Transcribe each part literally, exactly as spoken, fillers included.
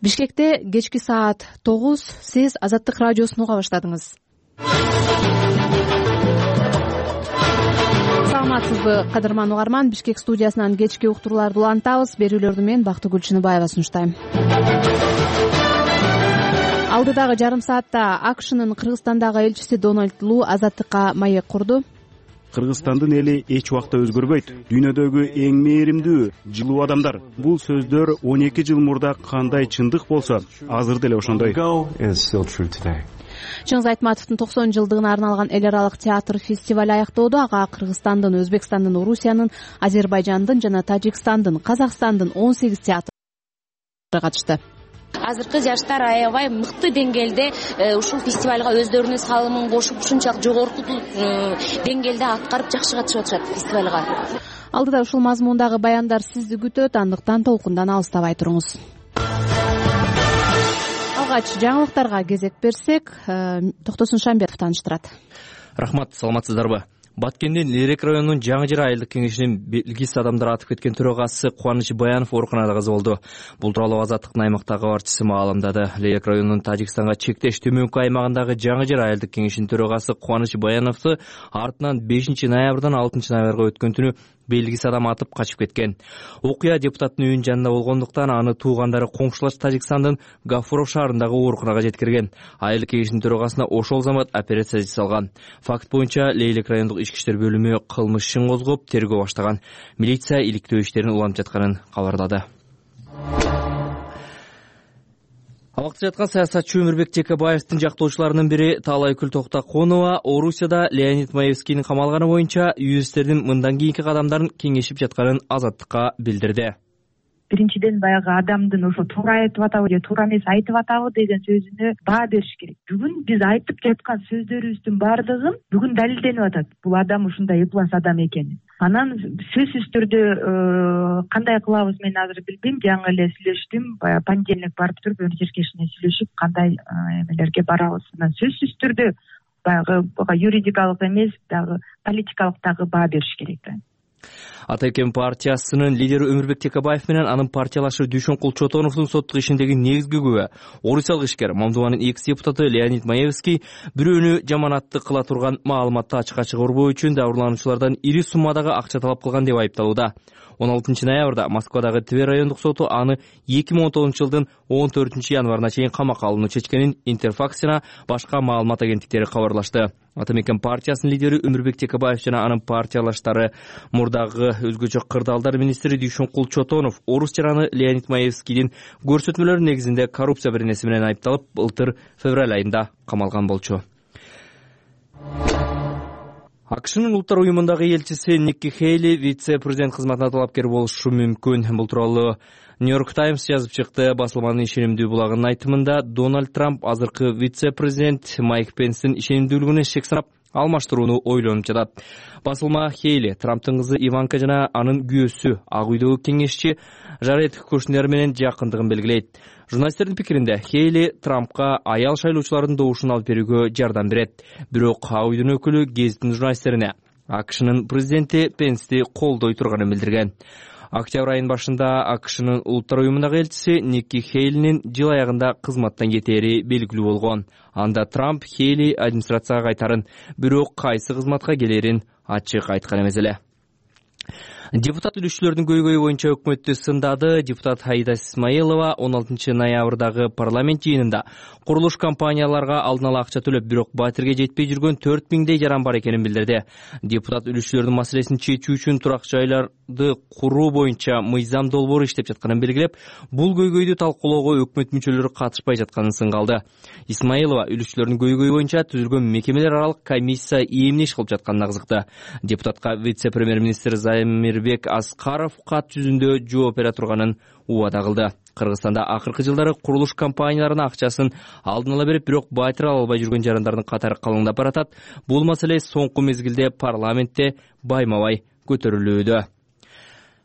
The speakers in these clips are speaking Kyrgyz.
Бишкекте кечки саат тогуз сиз Азаттык радиосун уга баштадыңыз. Саламатсызбы, кадырман угарман. Бишкек студиясынан кечки уктурууларды улантабыз. Берүүлөрдү мен Бактыгүл Чыныбаева сунуштайм. Алдыдагы жарым саатта АКШнын Кыргызстандагы элчиси Дональд Лу Азаттыкка маек курду. Кыргызстандын эли эч убакта өзгөрбөйт. Дүйнөдөгү эң мээримдүү, жылуу адамдар. Бул сөздөр он эки жыл мурда кандай чындык болсо, азыр деле ошондой. Чыңгыз Айтматовдун токсон жылдыгына арналган эл аралык театр фестиваль аяктоодо ага Кыргызстандын, Өзбекстандын, Орусиянын, Азербайжандын жана Тажикстандын, Казакстандын он сегиз театры катышты. Азыркы жаштар аябай мыкты деңгээлде ушул фестивалга өздөрүнүн салымын кошуп, ушунчалык жогорку деңгээлде аткарып жакшы катышып атышат фестивалга. Алдыда ушул мазмундагы баяндар сизди күтөт, андыктан толкундан алыстабай туруңуз. Алгач жаңылыктарга кезек берсек, Токтосун Шамбетов тааныштырат. Рахмат, саламатсыздарбы? Баткендин Лерек районунун Жаңы Жыр айылдык кеңешинин белгисиз адамдар атып кеткен төрагасы Кубаныч Баянов ооруканада каза болду. Бул тууралуу Азаттыктын аймактагы кабарчысы маалымдады. Лерек районунун Тажикстанга чектеш төмөнкү аймагындагы Жаңы Жыр айылдык кеңешинин төрагасы Кубаныч Баяновду артынан бешинчи ноябрдан алтынчы ноябрга өткөн түнү белгисиз адам атып качып кеткен. Окуя депутаттын үйүнүн жанында болгондуктан аны туугандары коңшулаш Тажикстандын Гафуров шаарындагы ооруканага жеткирген. Айылдык кеңештин төрагасына ошол замат операция жасалган. Факт боюнча Лейлек райондук ички иштер бөлүмү кылмыш ишин козгоп, тергөө баштаган. Милиция иликтөө иштерин улантып жатканын кабарлады. Абакта жаткан саясатчы Өмүрбек Текебаевдин жактоочуларынын бири Таалайкүл Токтоконова Орусияда Леонид Маевскийдин камалганы боюнча юристтердин мындан кийинки кадамдарын кеңешип жатканын Азаттыкка билдирди. Биринчиден баягы адамдын ошо туура айтып атабы же туура эмес айтып атабы деген сөзүнө баа бериш керек. Бүгүн биз айтып жаткан сөздөрүбүздүн баардыгын бүгүн далилденип атат. Бул адам ушундай ыплас адам экени. Анан сөзсүз түрдө кандай кылабыз мен азыр билбейм. Жаңы эле сүйлөштүм. Баягы понедельник барып туруп өр жеркешине сүйлөшүп кандай эмелерге барабыз. Анан сөзсүз түрдө баягы юридикалык эмес, дагы политикалык дагы баа бериш керек. Атайкен партиясынын лидери Өмүрбек Текебаев менен анын партиялашы Дүйшөнкул Чотоновдун соттук ишиндеги негизги күбө орусиялык ишкер Мамдубанын экс депутаты Леонид Маевский бирөөнү жаманатты кыла турган маалыматты ачыкка чыгарбоо үчүн дабырлануучулардан ири суммадагы акча талап кылган деп айыпталууда. он алтынчы ноябрда Москвадагы Тver райондук соту аны эки миң он тогузунчу жылдын он төртүнчү январына чейин камакка алууну чечкенин Интерфакс жана башка маалымат агенттиктери кабарлашты. Атамекен партиясынын лидери Өмүрбек Текебаев жана анын партиялаштары мурдагы өзгөчө кырдаалдар министри Дүйшөнкул Чотонов орус жараны Леонид Маевскийдин көрсөтмөлөрү негизинде коррупция беренеси менен айыпталып, былтыр февраль айында камалган болчу. АКШнын улуттар уюмундагы элчиси Никки Хейли вице-президент кызматына талапкер болушу мүмкүн. Бул тууралуу Нью-Йорк Таймс жазып чыкты. Басылманын ишенимдүү булагынын айтымында Дональд Трамп азыркы вице-президент Майк Пенстин ишенимдүүлүгүнө шек санап алмаштырууну ойлонуп жатат. Басылма Хейли Трамптын кызы Иванка жана анын күйөөсү Ак үйдөгү кеңешчи Жаред Кушнер менен жакындыгын белгилейт. Журналисттердин пикиринде Хейли Трампка аял шайлоочулардын добушун алып берүүгө жардам берет. Бирок Ак үйдүн өкүлү гезиттин журналисттерине АКШнын президенти Пенсти колдой турганын билдирген. Октябрь айынын башында АКШнын улуттар уюмундагы элчиси Никки Хейлинин жыл аягында кызматтан кетери белгилүү болгон. Анда Трамп Хейли администрацияга кайтарын, бирок кайсы кызматка келерин ачык айткан эмес эле. Депутат үлүшчүлөрдүн көйгөйү боюнча өкмөттү сындады. Депутат Аида Исмаилова он алтынчы ноябрдагы парламент жыйынында курулуш компанияларга алдын ала акча төлөп, бирок батирге жетпей жүргөн төрт миңдей жаран бар экенин билдирди. Депутат үлүшчүлөрдүн маселесин чечүү үчүн турак жайларды куруу боюнча мыйзам долбоору иштеп жатканын белгилеп, бул көйгөйдү талкуулоого өкмөт мүчөлөрү катышпай жатканын сынгалды. Исмаилова үлүшчүлөрдүн көйгөйү боюнча түзүлгөн мекемелер аралык комиссия эмне иш кылып жатканын агзыкты. Депутатка вице-премьер-министр Замирбек Аскаров кат жүзүндө жооп бере турганын убада кылды. Кыргызстанда акыркы жылдары курулуш компанияларынын акчасын алдын ала берип, бирок батир ала албай жүргөн жарандардын катары калыңдап баратат. Бул маселе соңку мезгилде парламентте байма-бай көтөрүлүүдө.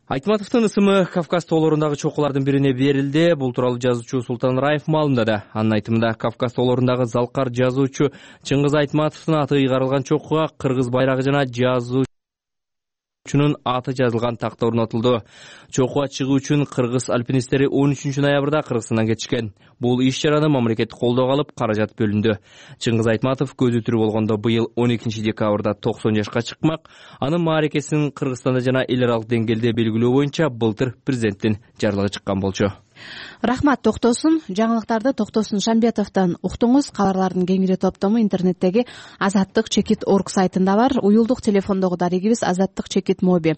Айтматовдун ысымы Кавказ тоолорундагы чокулардын бирине берилди. Бул тууралуу жазуучу Султан Раев маалымдады. Анын айтымында Кавказ тоолорундагы залкар жазуучу Чыңгыз Айтматовдун аты ыйгарылган чокуга кыргыз байрагы жана жазуу чунун аты жазылган такта орнотулду. Чокуга чыгуу үчүн кыргыз альпинисттери он үчүнчү ноябрда Кыргызстандан кетишкен. Бул иш чараны мамлекет колдоого алып, каражат бөлүндү. Чыңгыз Айтматов көзү тирүү болгондо быйыл он экинчи декабрда токсон жашка чыкмак. Анын мааракесин Кыргызстанда жана эл аралык деңгээлде белгилөө боюнча былтыр президенттин жарлыгы чыккан болчу. Рахмат, токтосун. Жаңылыктарды Токтосун Шамбетовдон уктуңуз. Кабарлардын кеңири топтому интернеттеги Азаттык чекит орг сайтында бар. Уюлдук телефондогу дарегибиз Азаттык чекит моби.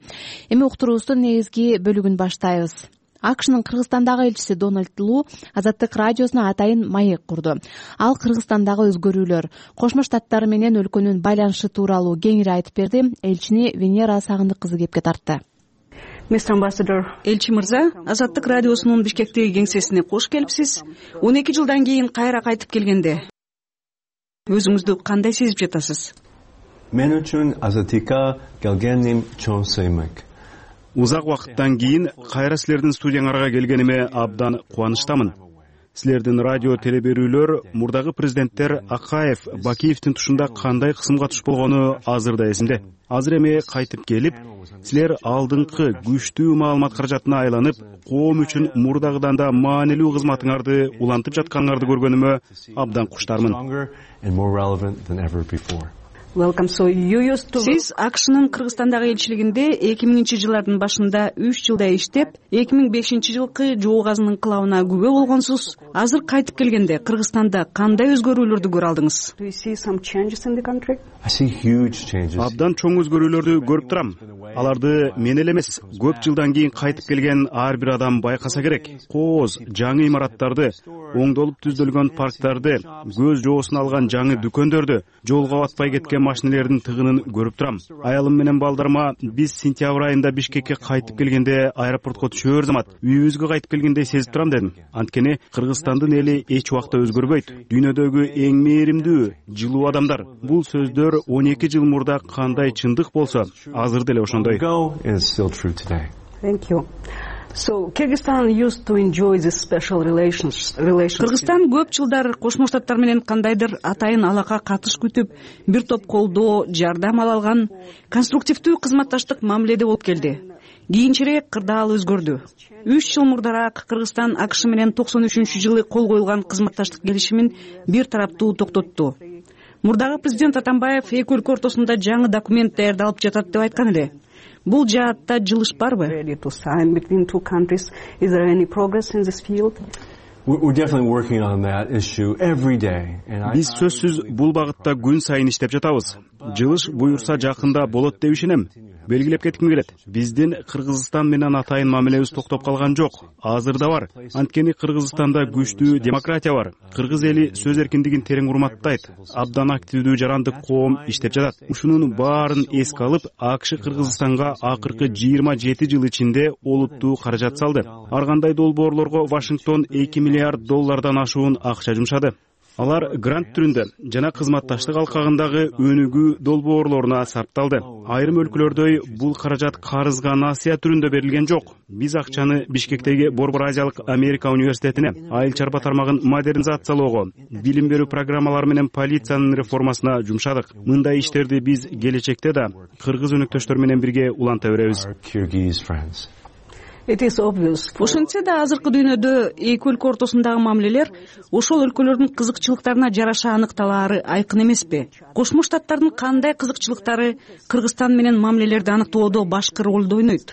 Эми уктуруубуздун негизги бөлүгүн баштайбыз. АКШнын Кыргызстандагы элчиси Дональд Лу Азаттык радиосуна атайын маек курду. Ал Кыргызстандагы өзгөрүүлөр, Кошмо Штаттар менен өлкөнүн байланышы тууралуу кеңири айтып берди. Элчини Венера Сагындык кызы кепке тартты. Элчи мырза, Азаттык радиосунун Бишкектеги кеңсесине кош келипсиз. он эки жылдан кийин кайра кайтып келгенде өзүңүздү кандай сезип жатасыз? Мен үчүн Азаттыкка келгеним чоң сыймык. Узак убакыттан кийин кайра силердин студияңарга келгениме абдан кубанычтамын. Силердин радио телеберүүлөр мурдагы президенттер Акаев, Бакиевдин тушунда кандай кысымга туш болгону азырда эсимде. Азыр эми кайтып келип, силер алдыңкы күчтүү маалымат каражатына айланып, коом үчүн мурдагыдан да маанилүү кызматыңарды улантып жатканыңарды көргөнүмө абдан куштармын. Сиз АКШнын Кыргызстандагы элчилигинде эки миңинчи жылдардын башында үч жылдай иштеп, эки миң бешинчи жылкы жоо газынын кылабына күбө болгонсуз. Азыр кайтып келгенде Кыргызстанда кандай өзгөрүүлөрдү көрө алдыңыз? Абдан чоң өзгөрүүлөрдү көрүп турам. Аларды мен эле эмес, көп жылдан кийин кайтып келген ар бир адам байкаса керек. Кооз, жаңы имараттарды, оңдолуп түздөлгөн парктарды, көз жоосуна алган жаңы дүкөндөрдү, жолго батпай кеткен машинелердин тыгынын көрүп турам. Аялым менен балдарыма биз сентябрь айында Бишкекке кайтып келгенде аэропортко түшөр замат үйүбүзгө кайтып келгендей сезип турам дедим. Анткени Кыргызстандын эли эч убакта өзгөрбөйт. Дүйнөдөгү эң мээримдүү, жылуу адамдар. Бул сөздөр он эки жыл мурда кандай чындык болсо, азыр деле ошондой. Кыргызстан көп жылдар Кошмо Штаттар менен кандайдыр атайын алака катыш күтүп, бир топ колдоо, жардам ала алган, конструктивдүү кызматташтык мамиледе болуп келди. Кийинчерээк кырдаал өзгөрдү. үч жыл мурдараак Кыргызстан АКШ менен токсон үчүнчү жылы кол коюлган кызматташтык келишимин бир тараптуу токтотту. Мурдагы президент Атамбаев эки өлкө ортосунда жаңы документ даярдалып жатат деп айткан эле. Бул жаатта жылыш барбы? Биз сөзсүз бул багытта күн сайын иштеп жатабыз. Жылыш буюрса жакында болот деп ишенем. Белгилеп кетким келет. Биздин Кыргызстан менен атайын мамилебиз токтоп калган жок. Азырда бар. Анткени Кыргызстанда күчтүү демократия бар. Кыргыз эли сөз эркиндигин терең урматтайт. Абдан активдүү жарандык коом иштеп жатат. Ушунун баарын эске алып, АКШ Кыргызстанга акыркы жыйырма жети жыл ичинде олуттуу каражат салды. Ар кандай долбоорлорго Вашингтон эки миллиард доллардан ашуун акча жумшады. Алар грант түрүндө жана кызматташтык алкагындагы өнүгүү долбоорлоруна сарпталды. Айрым өлкөлөрдөй бул каражат карызга насыя түрүндө берилген жок. Биз акчаны Бишкектеги Борбор Азиялык Америка университетине, айыл чарба тармагын модернизациялоого, билим берүү программалары менен полициянын реформасына жумшадык. Мындай иштерди биз келечекте да кыргыз өнөктөштөр менен бирге уланта беребиз. Ошентсе да азыркы дүйнөдө эки өлкө ортосундагы мамилелер ошол өлкөлөрдүн кызыкчылыктарына жараша аныкталаары айкын эмеспи? Кошмо Штаттардын кандай кызыкчылыктары Кыргызстан менен мамилелерди аныктоодо башкы ролду ойнойт?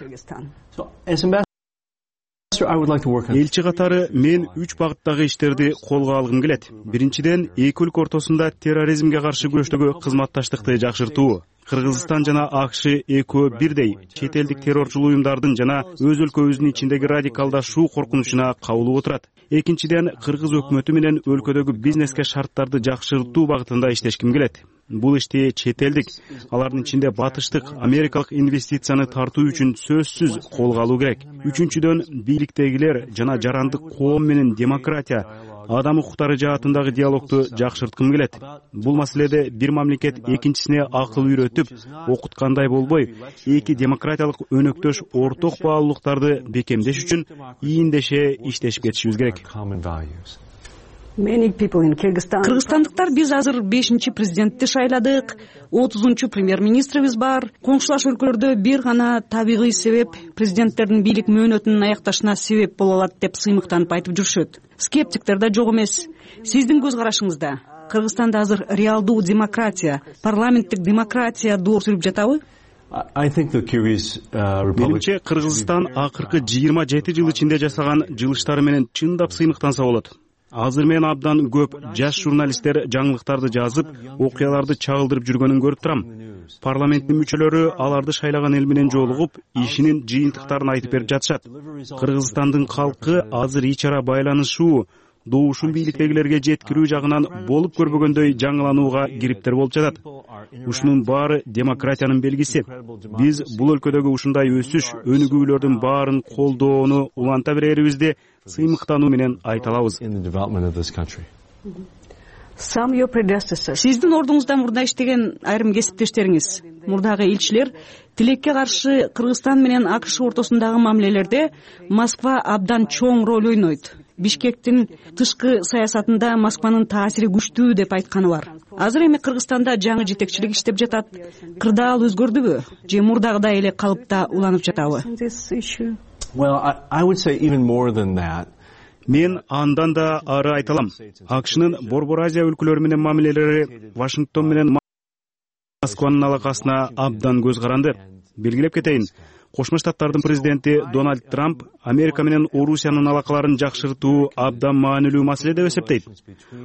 Элчи катары мен үч багыттагы иштерди колго алгым келет. Биринчиден, эки өлкө ортосунда терроризмге каршы күрөштөгү кызматташтыкты жакшыртуу. Кыргызстан жана АКШ экөө бирдей чет элдик террорчул уюмдардын жана өз өлкөбүздүн ичиндеги радикалдашуу коркунучуна кабылып отурат. Экинчиден, кыргыз өкмөтү менен өлкөдөгү бизнеске шарттарды жакшыртуу багытында иштешким келет. Бул ишти чет элдик, алардын ичинде батыштык, америкалык инвестицияны тартуу үчүн сөзсүз колго алуу керек. Үчүнчүдөн, бийликтегилер жана жарандык коом менен демократия, адам укуктары жаатындагы диалогду жакшырткым келет. Бул маселеде бир мамлекет экинчисине акыл үйрөтүп, окуткандай болбой, эки демократиялык өнөктөш орток баалуулуктарды бекемдеш үчүн ийиндеше иштешип кетишибиз керек. кыргызстандыктар биз азыр бешинчи президентти шайладык, отузунчу премьер-министрибиз бар. Коңшулаш өлкөлөрдө бир гана табигый себеп президенттердин бийлик мөөнөтүнүн аякташына себеп боло алат деп сыймыктанып айтып жүрүшөт. Скептиктер да жок эмес. Сиздин көз карашыңызда Кыргызстанда азыр реалдуу демократия, парламенттик демократия доор сүрүп жатабы? Менимче Кыргызстан акыркы жыйырма жети жыл ичинде жасаган жылыштары менен чындап сыймыктанса болот. Азыр мен абдан көп жаш журналисттер жаңылыктарды жазып, окуяларды чагылдырып жүргөнүн көрүп турам. Парламенттин мүчөлөрү аларды шайлаган эл менен жолугуп, ишинин жыйынтыктарын айтып берип жатышат. Кыргызстандын калкы азыр ич ара байланышуу, добушун бийликтегилерге жеткирүү жагынан болуп көрбөгөндөй жаңыланууга кириптер болуп жатат. Ушунун баары демократиянын белгиси. Биз бул өлкөдөгү ушундай өсүш, өнүгүүлөрдүн баарын колдоону уланта берерибизди сыймыктануу менен айта алабыз. Сиздин ордуңузда мурда иштеген айрым кесиптештериңиз, мурдагы элчилер тилекке каршы Кыргызстан менен АКШ ортосундагы мамилелерде Москва абдан чоң роль ойнойт. Бишкектин тышкы саясатында Москванын таасири күчтүү деп айтканы бар. Азыр эми Кыргызстанда жаңы жетекчилик иштеп жатат. Кырдаал өзгөрдүбү же мурдагыдай эле калыпта уланып жатабы? Мен андан да ары айта алам. АКШнын Борбор Азия өлкөлөрү менен мамилелери Вашингтон менен Москванын алакасына абдан көз каранды. Белгилеп кетейин, Кошмо Штаттардын президенти Дональд Трамп Америка менен Орусиянын алакаларын жакшыртуу абдан маанилүү маселе деп эсептейт.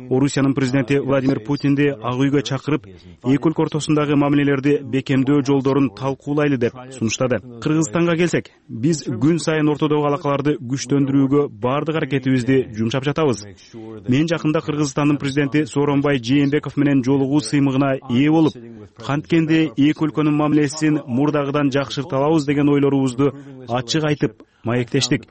Орусиянын президенти Владимир Путинди Ак үйгө чакырып, эки өлкө ортосундагы мамилелерди бекемдөө жолдорун талкуулайлы деп сунуштады. Кыргызстанга келсек, биз күн сайын ортодогу алакаларды күчтөндүрүүгө бардык аракетибизди жумшап жатабыз. Мен жакында Кыргызстандын президенти Сооронбай Жээнбеков менен жолугуу сыймыгына ээ болуп, канткенде эки өлкөнүн мамилесин мурдагыдан жакшырта алабыз деген ойлорубузду ачык айтып маектештик.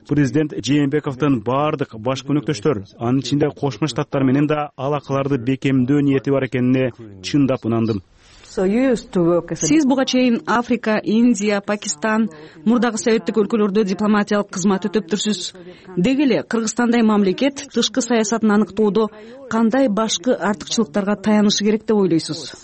Президент Жээнбековдун бардык баш өнөктөштөр, анын ичинде Кошмо Штаттар менен да алакаларды бекемдөө ниети бар экенине чындап ынандым. Сиз буга чейин Африка, Индия, Пакистан, мурдагы советтик өлкөлөрдө дипломатиялык кызмат өтөптүрсүз. Деги эле Кыргызстандай мамлекет тышкы саясатын аныктоодо кандай башкы артыкчылыктарга таянышы керек деп ойлойсуз?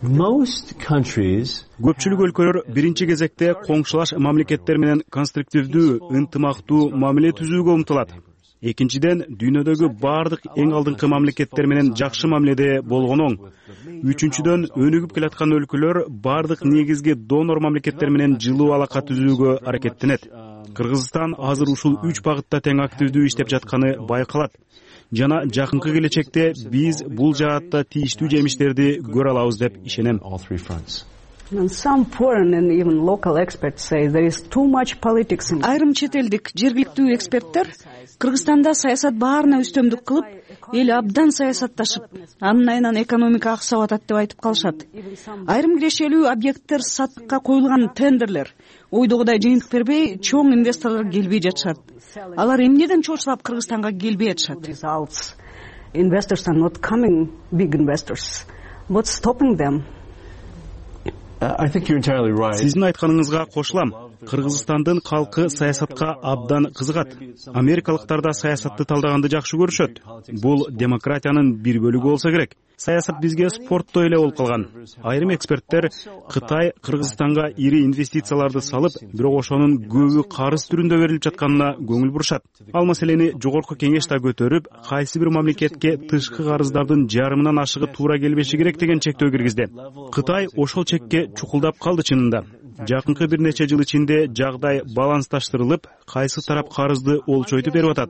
Көпчүлүк өлкөлөр биринчи кезекте коңшулаш мамлекеттер менен конструктивдүү, ынтымактуу мамиле түзүүгө умтулат. Экинчиден, дүйнөдөгү бардык эң алдыңкы мамлекеттер менен жакшы мамиледе болгон оң. Үчүнчүдөн, өнүгүп келаткан өлкөлөр бардык негизги донор мамлекеттер менен жылуу алака түзүүгө аракеттенет. Кыргызстан азыр ушул үч багытта тең активдүү иштеп жатканы байкалат. Жана жакынкы келечекте биз бул жаатта тийиштүү жемиштерди көрө алабыз деп ишенем. Айрым чет элдик жергиликтүү эксперттер Кыргызстанда саясат баарына үстөмдүк кылып, эл абдан саясатташып, анын айынан экономика аксап атат деп айтып калышат. Айрым кирешелүү объекттер сатыкка коюлган тендерлер ойдогудай жыйынтык бербей, чоң инвесторлор келбей жатышат. Алар эмнеден чочулап Кыргызстанга келбей жатышат? Сиздин айтканыңызга кошулам. Кыргызстандын калкы саясатка абдан кызыгат. Америкалыктар да саясатты талдаганды жакшы көрүшөт. Бул демократиянын бир бөлүгү болсо керек. Саясат бизге спорттой эле болуп калган. Айрым эксперттер Кытай Кыргызстанга ири инвестицияларды салып, бирок ошонун көбү карыз түрүндө берилип жатканына көңүл бурушат. Ал маселени жогорку кеңеш да көтөрүп, кайсы бир мамлекетке тышкы карыздардын жарымынан ашыгы туура келбеши керек деген чектөө киргизди. Кытай ошол чекке чукулдап калды чынында. Жакынкы бир нече жыл ичинде жагдай балансташтырылып, кайсы тарап карызды олчойтуп берип атат,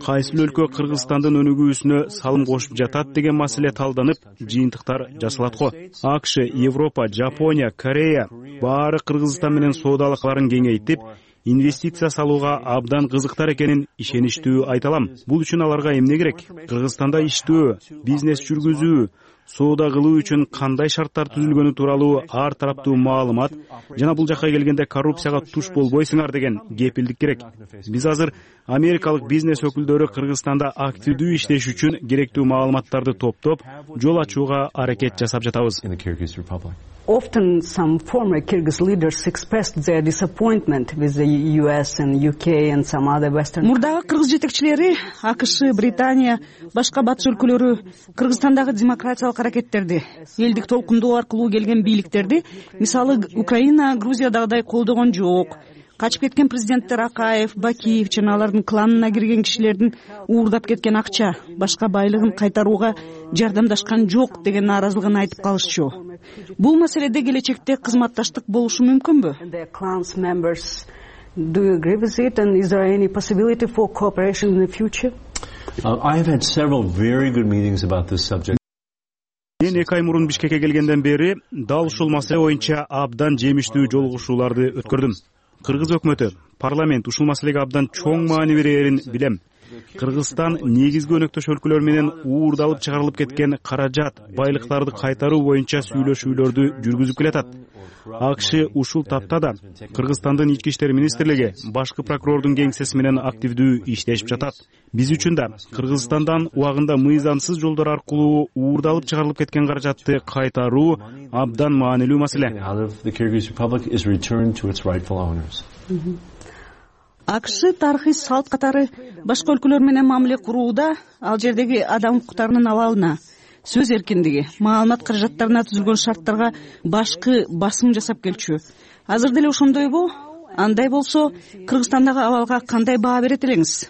кайсы өлкө Кыргызстандын өнүгүүсүнө салым кошуп жатат деген маселе талданып, жыйынтыктар жасалат го. АКШ, Европа, Жапония, Корея баары Кыргызстан менен соода алакаларын кеңейтип, инвестиция салууга абдан кызыктар экенин ишеничтүү айта алам. Бул үчүн аларга эмне керек? Кыргызстанда иштөө, бизнес жүргүзүү, соода кылуу үчүн кандай шарттар түзүлгөнү тууралуу ар тараптуу маалымат жана бул жакка келгенде коррупцияга туш болбойсуңар деген кепилдик керек. Биз азыр америкалык бизнес өкүлдөрү Кыргызстанда активдүү иштеш үчүн керектүү маалыматтарды топтоп, жол ачууга аракет жасап жатабыз. Often some former Kyrgyz leaders expressed their disappointment with the U S and U K and some other Western. Мурдагы кыргыз жетекчилери АКШ, Британия, башка батыш өлкөлөрү Кыргызстандагы демократиялык аракеттерди, элдик толкундоо аркылуу келген бийликтерди, мисалы Украина, Грузиядагыдай колдогон жок. Качып кеткен президенттер Акаев, Бакиев жана алардын кланына кирген кишилердин уурдап кеткен акча, башка байлыгын кайтарууга жардамдашкан жок деген нааразылыгын айтып калышчу. Бул маселеде келечекте кызматташтык болушу мүмкүнбү? Do you agree with it, and is there any possibility for cooperation in the future? Uh, I have had several very good meetings about this subject. Мен эки ай мурун Бишкекке келгенден бери дал ушул маселе боюнча абдан жемиштүү жолугушууларды өткөрдүм. Кыргыз өкмөтү, парламент ушул маселеге абдан чоң маани берерин билем. Кыргызстан негизги өнөктөш өлкөлөр менен уурдалып чыгарылып кеткен каражат, байлыктарды кайтаруу боюнча сүйлөшүүлөрдү жүргүзүп келатат. АКШ ушул тапта да Кыргызстандын ички иштер министрлиги башкы прокурордун кеңсеси менен активдүү иштешип жатат. Биз үчүн да Кыргызстандан убагында мыйзамсыз жолдор аркылуу уурдалып чыгарылып кеткен каражатты кайтаруу абдан маанилүү маселе. АКШ тарыхый салт катары башка өлкөлөр менен мамиле курууда ал жердеги адам укуктарынын абалына, сөз эркиндиги, маалымат каражаттарына түзүлгөн шарттарга башкы басым жасап келчү. Азыр деле ошондойбу? Андай болсо, Кыргызстандагы абалга кандай баа берет элеңиз?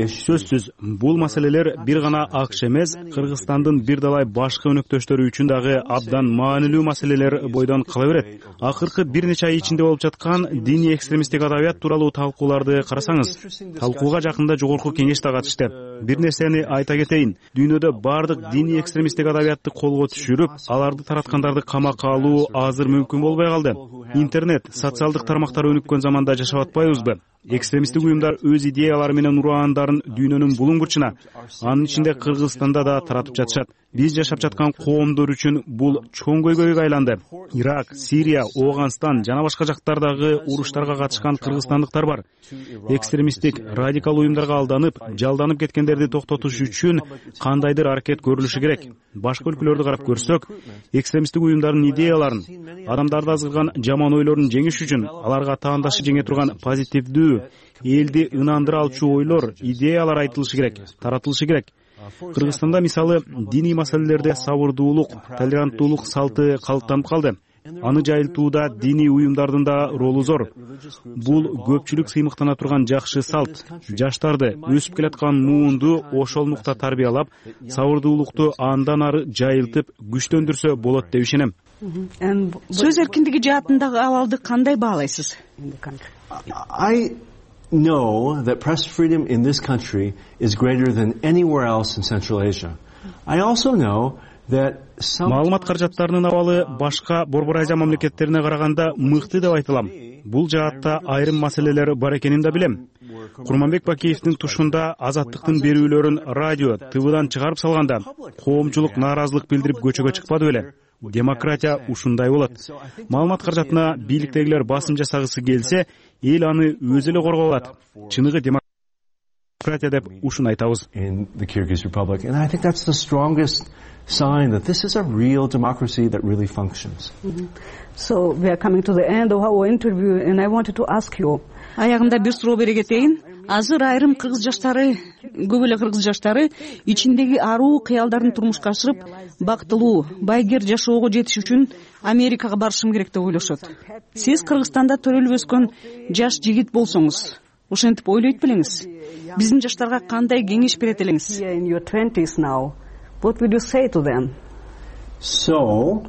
Сөзсүз, бул маселелер бир гана АКШ эмес, Кыргызстандын бир далай башкы өнөктөштөрү үчүн дагы абдан маанилүү маселелер бойдон кала берет. Акыркы бир нече ай ичинде болуп жаткан диний экстремисттик адабият тууралуу талкууларды карасаңыз, талкууга жакында жогорку кеңеш да катышты. Бир нерсени айта кетейин, дүйнөдө бардык диний экстремисттик адабиятты колго түшүрүп, аларды тараткандарды камакка алуу азыр мүмкүн болбой калды. Интернет, социалдык тармактар өнүккөн заманда жашап атпайбызбы? Экстремисттик уюмдар өз идеялары менен ураандарын дүйнөнүн булуң бурчуна, анын ичинде Кыргызстанда да таратып жатышат. Биз жашап жаткан коомдор үчүн бул чоң көйгөйгө айланды. Ирак, Сирия, Ооганстан жана башка жактардагы уруштарга катышкан кыргызстандыктар бар. Экстремисттик, радикал уюмдарга алданып, жалданып кеткендерди токтотуш үчүн кандайдыр аракет көрүлүшү керек. Башка өлкөлөрдү карап көрсөк, экстремисттик уюмдардын идеяларын, адамдарды азгырган жаман ойлорун жеңиш үчүн аларга таандашы жеңе турган позитивдүү, элди ынандыра алчу ойлор, идеялар айтылышы керек, таратылышы керек. Кыргызстанда мисалы диний маселелерде сабырдуулук, толеранттуулук салты калыптанып калды. Аны жайылтууда диний уюмдардын да ролу зор. Бул көпчүлүк сыймыктана турган жакшы салт. Жаштарды өсүп келаткан муунду ошол нукта тарбиялап, сабырдуулукту андан ары жайылтып, күчтөндүрсө болот деп ишенем. Сөз эркиндиги жаатындагы абалды кандай баалайсыз? I know that press freedom in this country is greater than anywhere else in Central Asia. I also know that маалымат каражаттарынын абалы башка Борбор Азия мамлекеттерине караганда мыкты деп айтылам. Бул жаатта айрым маселелер бар экенин да билем. Курманбек Бакиевдин тушунда азаттыктын берүүлөрүн радио, ТВдан чыгарып салганда коомчулук нааразылык билдирип көчөгө чыкпады беле? Демократия ушундай болот. Маалымат каражатына бийликтегилер басым жасагысы келсе, эл аны өзү эле коргоп алат. Чыныгы демократия деп ушун айтабыз. In the Kyrgyz Republic, and I think that's the strongest sign that this is a real democracy that really functions. Mm-hmm. So we are coming to the end of our interview, and I wanted to ask you. Аягында бир суроо бере кетейин. Азыр айрым кыргыз жаштары, көп эле кыргыз жаштары ичиндеги аруу кыялдарын турмушка ашырып, бактылуу, байгер жашоого жетиш үчүн Америкага барышым керек деп ойлошот. Сиз Кыргызстанда төрөлүп өскөн жаш жигит болсоңуз, ошентип ойлойт белеңиз? Биздин жаштарга кандай кеңеш берет элеңиз? In your twenties now, what would you say to them? So,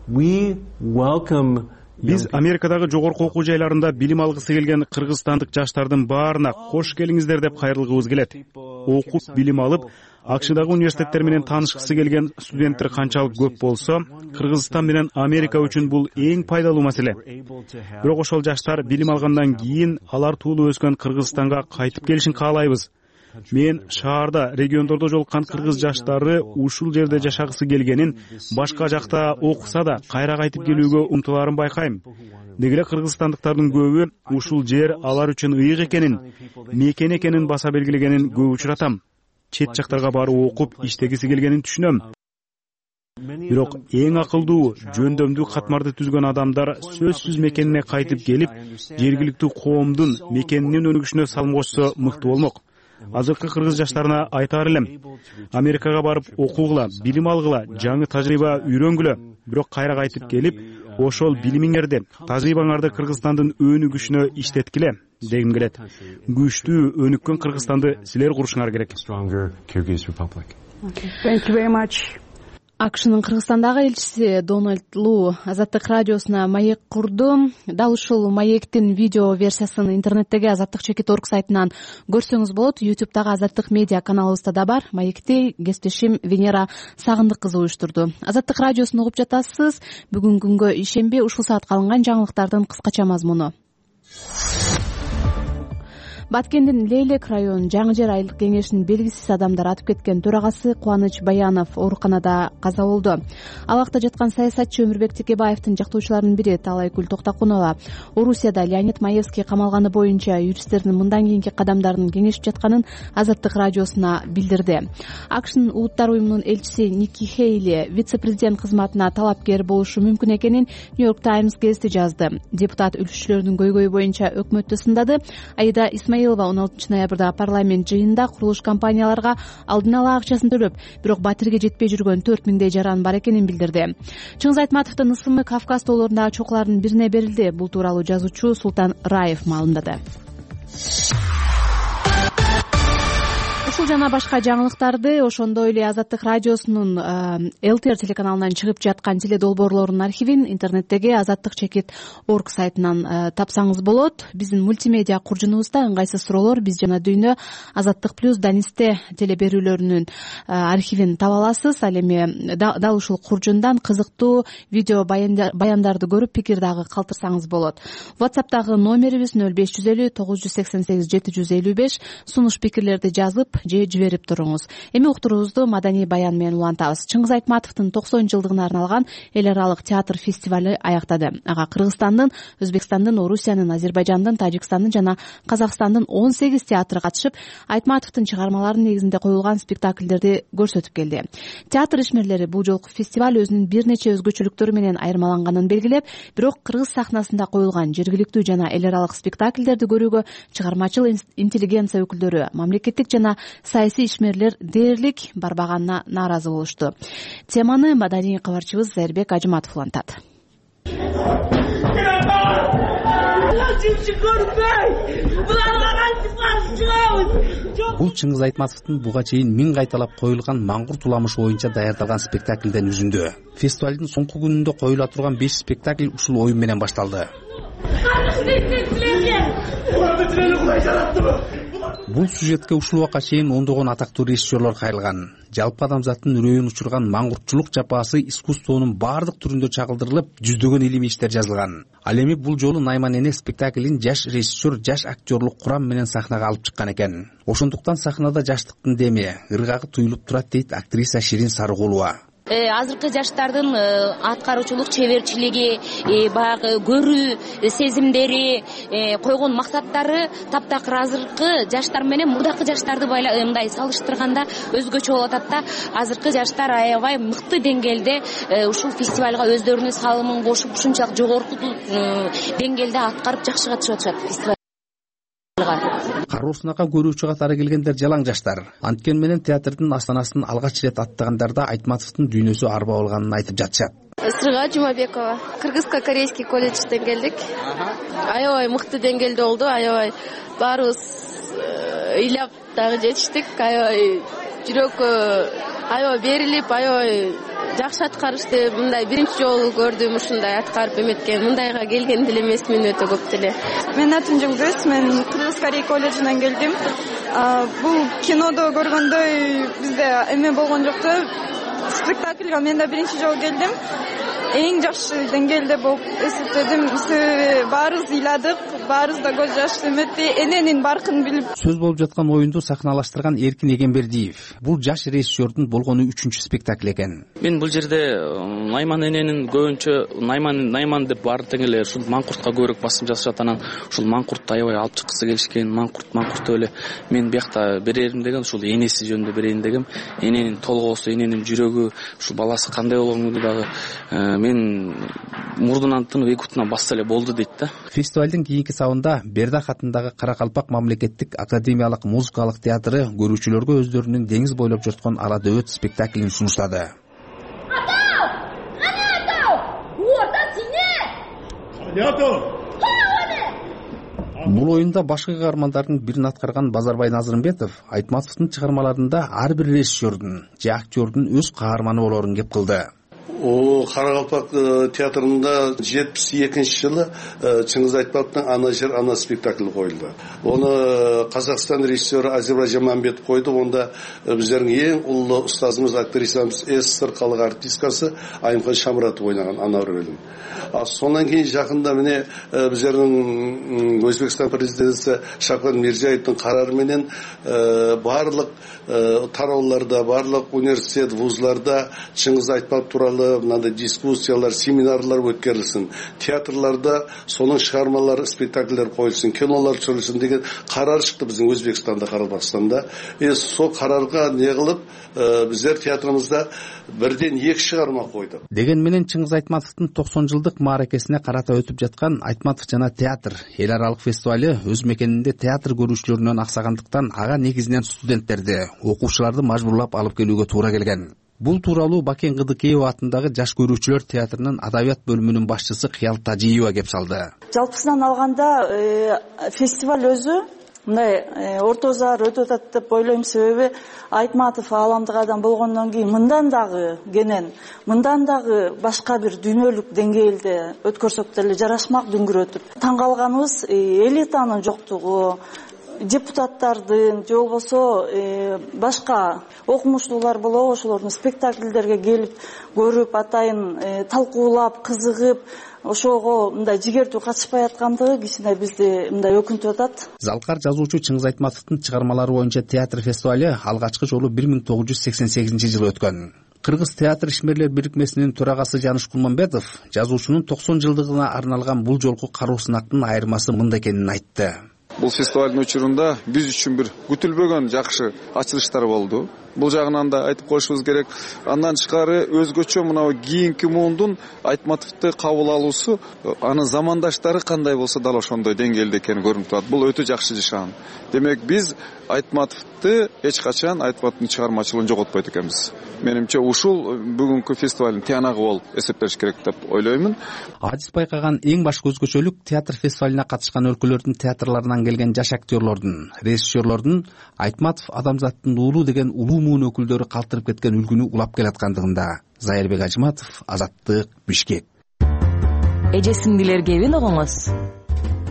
we welcome Биз Америкадагы жогорку окуу жайларында билим алгысы келген кыргызстандык жаштардын баарына кош келиңиздер деп кайрылгыбыз келет. Окуп, билим алып, АКШдагы университеттер менен таанышкысы келген студенттер канчалык көп болсо, Кыргызстан менен Америка үчүн бул эң пайдалуу маселе. Бирок ошол жаштар билим алгандан кийин алар туулуп өскөн Кыргызстанга кайтып келишин каалайбыз. Мен шаарда, региондордо жолуккан кыргыз жаштары ушул жерде жашагысы келгенин, башка жакта окуса да кайра кайтып келүүгө умтулаарын байкайм. Деги эле кыргызстандыктардын көбү ушул жер алар үчүн ыйык экенин, мекен экенин баса белгилегенин көп учуратам. Чет жактарга барып окуп, иштегиси келгенин түшүнөм. Бирок эң акылдуу, жөндөмдүү катмарды түзгөн адамдар сөзсүз мекенине кайтып келип, жергиликтүү коомдун мекенинин өнүгүшүнө салым кошсо мыкты болмок. Азыркы кыргыз жаштарына айтаар элем: Америкага барып окугула, билим алгыла, жаңы тажрыйба үйрөнгүлө. Бирок кайра кайтып келип, ошол билимиңерди, тажрыйбаңарды Кыргызстандын өнүгүшүнө иштеткиле дегим келет. Күчтүү, өнүккөн Кыргызстанды силер курушуңар керек. Thank you very much. АКШнын Кыргызстандагы элчиси Дональд Лу Азаттык радиосуна маек курду. Дал ушул маектин видео версиясын интернеттеги Азаттык чекит орг сайтынан көрсөңүз болот. ютубтагы Азаттык медиа каналыбызда да бар. Маекти кесиптешим Венера Сагындык кызы уюштурду. Азаттык радиосун угуп жатасыз. Бүгүн күнгө ишемби ушул саатка алынган жаңылыктардын кыскача мазмуну. Баткендин Лейлек районунун Жаңы жер айылык кеңешинин белгисиз адамдар атып кеткен төрагасы Кубаныч Баянов ооруканада каза болду. Алакта жаткан саясатчы Өмүрбек Текебаевдин жактоочуларынын бири Талайкүл Токтокунова Орусияда Леонид Маевский камалганы боюнча юристтердин мындан кийинки кадамдарын кеңешип жатканын Азаттык радиосуна билдирди. АКШнын улуттар уюмунун элчиси Ники Хейли вице-президент кызматына талапкер болушу мүмкүн экенин Нью-Йорк Таймс гезити жазды. Депутат үлчүчүлөрдүн көйгөйү боюнча өкмөттү сындады. Аида Исмаилова он алтынчы ноябрда парламент жыйынында курулуш компанияларга алдын ала акчасын төлөп, бирок батирге жетпей жүргөн төрт миңдей жаран бар экенин билдирди. Чыңгыз Айтматовдун ысымы Кавказ тоолорундагы чокулардын бирине берилди. Бул тууралуу жазуучу Султан Раев маалымдады. Ушул жана башка жаңылыктарды ошондой эле Азаттык радиосунун эл ти эр телеканалынан чыгып жаткан теледолбоорлордун архивин интернеттеги Азаттык чекит орг сайтынан тапсаңыз болот. Биздин мультимедиа куржунубузда ыңгайсыз суроолор, биз жана дүйнө, Азаттык плюс, Данисте телеберүүлөрүнүн архивин таба аласыз. Ал эми дал ушул куржундан кызыктуу видео баяндарды көрүп пикир дагы калтырсаңыз болот. WhatsApp'тагы номерибиз нөл беш жүз элүү тогуз жүз сексен сегиз жети жүз элүү беш. Сунуш пикирлерди жазып же жиберип туруңуз. Эми уктуруубузду маданий баян менен улантабыз. Чыңгыз Айтматовдун токсон жылдыгына арналган эл аралык театр фестивали аяктады. Ага Кыргызстандын, Өзбекстандын, Орусиянын, Азербайжандын, Тажикстандын жана Казакстандын он сегиз театры катышып, Айтматовдун чыгармаларынын негизинде коюлган спектакльдерди көрсөтүп келди. Театр ишмерлери бул жолку фестиваль өзүнүн бир нече өзгөчөлүктөрү менен айырмаланганын белгилеп, бирок кыргыз сахнасында коюлган жергиликтүү жана эл аралык спектакльдерди көрүүгө чыгармачыл интеллигенция өкүлдөрү, мамлекеттик жана саясий ишмерлер дээрлик барбаганына нааразы болушту. Теманы маданий кабарчыбыз Зайырбек Ажыматов улантат. Бул Чыңгыз Айтматовдун буга чейин миң кайталап коюлган Маңгурт уламышы боюнча даярдалган спектакльден үзүндү. Фестивалдын соңку күнүндө коюла турган беш спектакль ушул оюн менен башталды. Бул сюжетке ушул убакка чейин ондогон атактуу режиссерлор кайрылган. Жалпы адамзаттын үрөйүн учурган маңгуртчулук жапаасы искусствонун баардык түрүндө чагылдырылып, жүздөгөн илимий иштер жазылган. Ал эми бул жолу Найман эне спектаклин жаш режиссер, жаш актерлук курам менен сахнага алып чыккан экен. Ошондуктан сахнада жаштыктын деми, ыргагы туюлуп турат дейт актриса Ширин Сарыгулова. Азыркы жаштардын аткаруучулук чеберчилиги, баягы көрүү сезимдери, койгон максаттары таптакыр азыркы жаштар менен мурдакы жаштарды мындай салыштырганда өзгөчө болуп атат да. Азыркы жаштар аябай мыкты деңгээлде ушул фестивалга өздөрүнүн салымын кошуп, ушунчалык жогорку деңгээлде аткарып жакшы катышып атышат фестивалга. Кароосунага көрүүчү катары келгендер жалаң жаштар. Анткени менен театрдын астанасын алгач ирет аттагандарда Айтматовдун дүйнөсү арба болгонун айтып жатышат. Сырга Жумабекова, Кыргызско-корейский колледжден келдик. Аябай мыкты деңгээлде болду, аябай баарыбыз ыйлап дагы жетиштик, аябай жүрөккө аябай берилип, аябай жакшы аткарышты. Мындай биринчи жолу көрдүм ушундай аткарып эметкен. Мындайга келген деле эмесмин өтө көп деле. Менин атым Жулдуз, мен Кыргыз-Корей колледжинен келдим. Бул кинодо көргөндөй бизде эме болгон жок да. Спектакльга мен да биринчи жолу келдим. эң жакшы деңгээлде болуп эсептедим. Баарыбыз ыйладык, баарыбыз да көз жаш эметти, эненин баркын билип. Сөз болуп жаткан оюнду сахналаштырган Эркин Эгембердиев. Бул жаш режиссердун болгону үчүнчү спектакль экен. Мен бул жерде Найман эненин көбүнчө Найман Найман деп баардык эле ушул Маңкуртка көбүрөөк басым жасашат, анан ушул Маңкуртты аябай алып чыккысы келишкен. Маңкурт Маңкурт эле мен биякта берерим деген, ушул энеси жөнүндө берейин дегем. Эненин толгоосу, эненин жүрөгү, ушул баласы кандай болгону дагы мен мурдунан тынып эки утунан басса эле болду дейт да. Фестивалдын кийинки сабында Бердак атындагы Каракалпак мамлекеттик академиялык музыкалык театры көрүүчүлөргө өздөрүнүн деңиз бойлоп жаткан Ала дөбөт спектаклин сунуштады. Атау! Ана атау! Орта сине! Атау! Бул оюнда башкы каармандардын бирин аткарган Базарбай Назырымбетов Айтматовдун чыгармаларында ар бир режиссердун же актёрдун өз каарманы болорун кеп кылды. О Каракалпак театрында жетимиш экинчи жылы Чыңгыз Айтматовдун Ана жер ана спектакли коюлду. Оны Казакстан режиссеру Азербайжан Мамбетов койду. Онда биздердин эң улуу устазыбыз, актрисабыз, СССР калык артисткасы Айымхан Шамратов ойнаган ана рөлүн. Сондан кийин жакында міне биздердин Өзбекстан президенти Шавкат Мирзиевдин карары менен барлык тарауларда, барлык университет, вузларда Чыңгыз Айтматов тууралуу мындай дискуссиялар, семинарлар өткөрүлсүн. Театрларда сонун чыгармалар, спектакльдер коюлсун, кинолор чыгарылсын деген карар чыкты биздин Өзбекстанда, Карабакстанда. Э сол карарга не кылып, биздер театрыбызда бирден эки чыгарма койдук. Деген менен Чыңгыз Айтматовдун токсон жылдык мааракесине карата өтүп жаткан Айтматов жана театр эл аралык фестивалы өз мекенинде театр көрүүчүлөрүнөн аксагандыктан ага негизинен студенттерди, окуучуларды мажбурлап алып келүүгө туура келген. Бул тууралуу Бакен Кыдыкеева атындагы жаш көрүүчүлөр театрынын адабият бөлүмүнүн башчысы Кыял Тажиева кеп салды. Жалпысынан алганда фестиваль өзү мындай орто зар өтүп атат деп ойлойм. Себеби Айтматов ааламдык адам болгондон кийин мындан дагы кенен, мындан дагы башка бир дүйнөлүк деңгээлде өткөрсөк деле жарашмак дүңгүрөтүп. Таң калганыбыз элитанын жоктугу, депутаттардын же болбосо башка окумуштуулар болобу, ошолордун спектакльдерге келип көрүп, атайын талкуулап, кызыгып, ошого мындай жигердүү катышпай аткандыгы кичине бизди мындай өкүнтүп атат. Залкар жазуучу Чыңгыз Айтматовдун чыгармалары боюнча театр фестиваль алгачкы жолу бир миң тогуз жүз сексен сегизинчи жылы өткөн. Кыргыз театр ишмерлер бирикмесинин төрагасы Жаныш Кулманбетов жазуучунун токсон жылдыгына арналган бул жолку каруу сынактын айырмасы мындай экенин айтты. Бул фестивалдын учурунда биз үчүн бир күтүлбөгөн жакшы ачылыштар болду. Бул жагынан да айтып коюшубуз керек. Андан тышкары өзгөчө мына кийинки муундун Айтматовду кабыл алуусу, анын замандаштары кандай болсо дал ошондой деңгээлде экени көрүнүп турат. Бул өтө жакшы жашан. Демек биз Айтматовду эч качан Айтматовдун чыгармачылыгын жоготпойт экенбиз. Менимче ушул бүгүнкү фестивалдын тыянагы болуп эсептелиш керек деп ойлоймун. Адис байкаган эң башкы өзгөчөлүк театр фестивалине катышкан өлкөлөрдүн театрларынан келген жаш актерлордун, режиссерлордун Айтматов адамзаттын уулу деген улуу муун өкүлдөрү калтырып кеткен үлгүнү улап келаткандыгында. Зайырбек Ажыматов, Азаттык, Бишкек. Эже сиңдилер кебин огоңуз.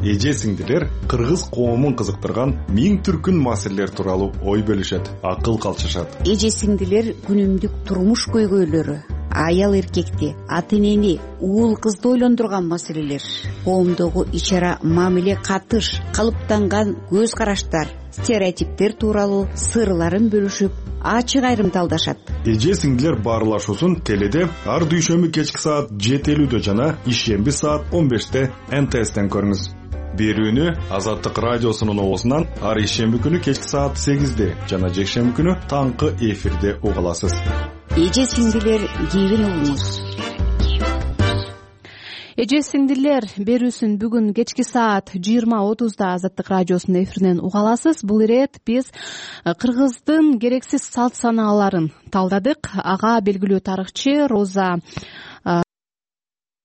Эже сиңдилер кыргыз коомун кызыктырган миң түркүн маселелер тууралуу ой бөлүшөт, акыл калчышат. Эже сиңдилер күнүмдүк турмуш көйгөйлөрү, аял эркекти, ата энени, уул кызды ойлондурган маселелер, коомдогу ич ара мамиле, катыш, калыптанган көз караштар, стереотиптер тууралуу сырларын бөлүшүп, ачык айрымталдашат. Эже сиңдилер баарлашуусун теледе ар дүйшөмбү кечки саат жети элүүдө жана ишемби саат он беште Н Т Стен көрүңүз. Берүүнү Азаттык радиосунун оосунан ар ишемби күнү кечки саат сегизде жана жекшемби күнү таңкы эфирде уга аласыз. Эже сиңдилер кийин угуңуз. Эже сиңдилер берүүсүн бүгүн кечки саат жыйырма отузда Азаттык радиосунун эфиринен уга аласыз. Бул ирет биз Кыргыздын керексиз салт санааларын талдадык. Ага белгилүү тарыхчы Роза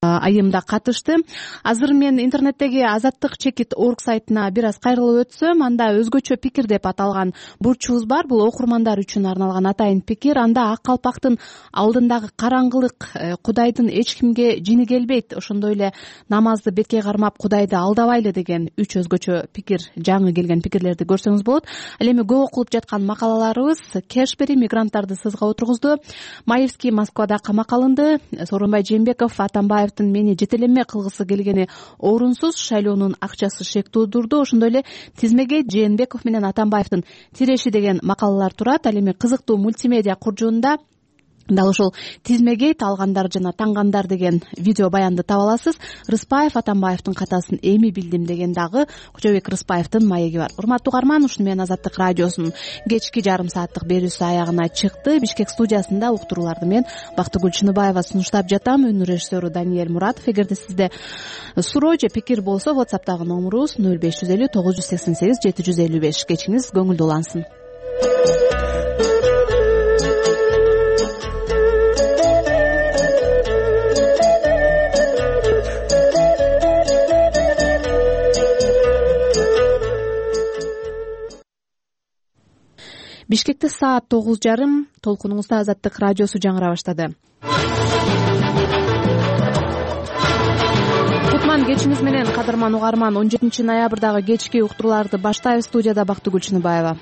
айымда катышты. Азыр мен интернеттеги Азаттык чекит орг сайтына бир аз кайрылып өтсөм, анда өзгөчө пикир деп аталган бурчубуз бар. Бул окурмандар үчүн арналган атайын пикир. Анда ак калпактын алдындагы караңгылык, Кудайдын эч кимге жини келбейт, ошондой эле намазды бетке кармап Кудайды алдабайлы деген үч өзгөчө пикир, жаңы келген пикирлерди көрсөңүз болот. Ал эми көп окулуп жаткан макалаларыбыз: Кешбери мигранттарды сызга отургузду, Маевский Москвада камакка алынды, Сооронбай Жээнбеков Атамбаев мени жетелеме кылгысы келгени орунсуз, шайлоонун акчасы шек туудурду. Ошондой эле тизмеге Жээнбеков менен Атамбаевдин тиреши деген макалалар турат. Ал эми кызыктуу мультимедиа куржуунда дал ошол тизмегейт алгандар жана таңгандар деген видео баянды таба аласыз. Рыспаев Атамбаевдин катасын эми билдим деген дагы Кожобек Рыспаевдин маеги бар. Урматтуу угарман, ушуну менен Азаттык радиосунун кечки жарым сааттык берүүсү аягына чыкты. Бишкек студиясында уктурууларды мен Бактыгүл Чыныбаева сунуштап жатам. Өнү режиссеру Даниэль Муратов. Эгерде сизде суроо же пикир болсо, WhatsApp'тагы номурубуз нөл беш жүз элүү тогуз жүз сексен сегиз жети жүз элүү беш. Кечиңиз көңүлдүү улансын. Бишкекте саат тогуз жарым. Толкунуңузда Азаттык радиосу жаңыра баштады. Кутман кечиңиз менен, кадырман угарман. он жетинчи ноябрдагы кечки уктурууларды баштайбыз. Студияда Бактыгүл Чыныбаева.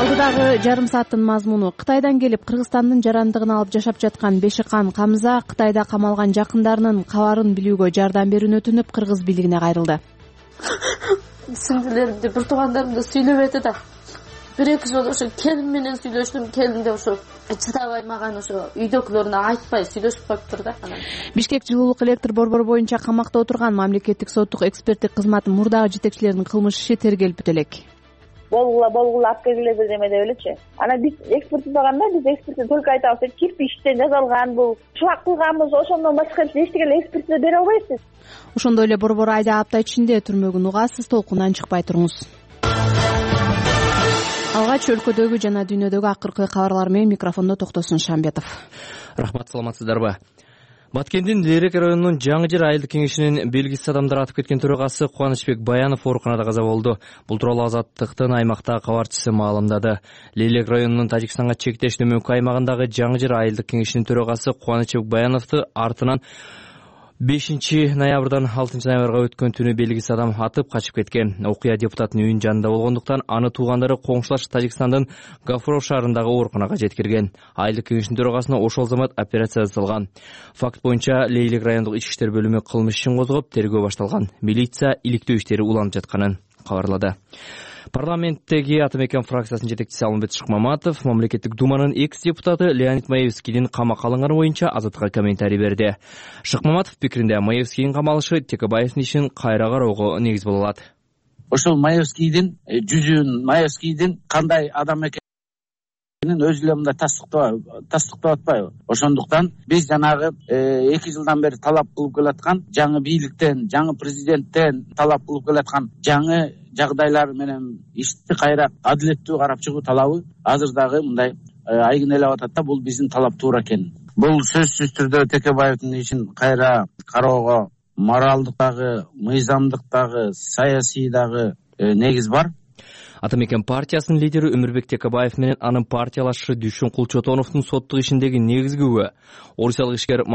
Алдыдагы жарым сааттын мазмуну: Кытайдан келип Кыргызстандын жарандыгын алып жашап жаткан Бешикан Камза Кытайда камалган жакындарынын кабарын билүүгө жардам берүүнү өтүнүп Кыргыз бийлигине кайрылды. Сиңдилеримди, бир туугандарымды сүйлөбөдү да. Бир эки жолу ошо келин менен сүйлөштүм. Келин де ошо чыдабай маган ошо үйдөгүлөрүнө айтпай сүйлөшүп коюптур да. Бишкек жылуулук электр борбору боюнча камакта отурган мамлекеттик соттук эксперттик кызматтын мурдагы жетекчилеринин кылмыш иши тергелип бүтөлөк. Болгула болгула алып келгиле бир неме деп элечи. Анан биз экспертизаганда биз экспертиза только айтабыз, кирпичтен жасалган бул, шулак кылганбыз, ошондон башка эчтеке эле экспертиза бере албайсыз. Ошондой эле борбор айда апта ичинде түрмөгүн угасыз. Толкундан чыкпай туруңуз. Алгач өлкөдөгү жана дүйнөдөгү акыркы кабарлар менен микрофондо Токтосун Шамбетов. Рахмат, саламатсыздарбы? Баткендин Лерек районунун Жаңы Жер айылдык кеңешинин белгисиз адамдар атып кеткен төрагасы Кубанычбек Баянов ооруканада каза болду. Бул тууралуу Азаттыктын аймактагы кабарчысы маалымдады. Лерек районунун Тажикстанга чектеш төмөнкү аймагындагы Жаңы Жер айылдык кеңешинин төрагасы Кубанычбек Баяновду артынан бешинчи ноябрдан алтынчы ноябрга өткөн түнү белгисиз адам атып качып кеткен. Окуя депутаттын үйүнүн жанында болгондуктан аны туугандары коңшулаш Тажикстандын Гафуров шаарындагы ооруканага жеткирген. Айылдык кеңештин төрагасына ошол замат операция жасалган. Факт боюнча Лейлек райондук ички иштер бөлүмү кылмыш ишин козгоп, тергөө башталган. Милиция иликтөө иштери уланып жатканын кабарлады. Парламенттеги Ата Мекен фракциясынын жетекчиси Алмамбет Шыкмаматов мамлекеттик думанын экс-депутаты Леонид Маевскийдин камакка алынганы боюнча Азаттыкка комментарий берди. Шыкмаматов пикиринде Маевскийдин камалышы Текебаевдин ишин кайра кароого негиз боло алат. Ошол Маевскийдин жүзүн, Маевскийдин кандай адам экенин өзү эле мындай тастыктап атпайбы? Ошондуктан биз жанагы эки жылдан бери талап кылып келаткан жаңы бийликтен, жаңы президенттен талап кылып келаткан жаңы жагдайлар менен ишти кайра адилеттүү карап чыгуу талабы азыр дагы мындай айгинелеп атат да, бул биздин талап туура экен. Бул сөзсүз түрдө Текебаевдин ишин кайра кароого моралдык дагы, мыйзамдык дагы, саясий дагы негиз бар. Ата Мекен партиясынын лидери Өмүрбек Текебаев менен анын партиялашы Дүйшөн Кулчотоновдун соттук ишиндеги негизги күбө орусиялык ишкер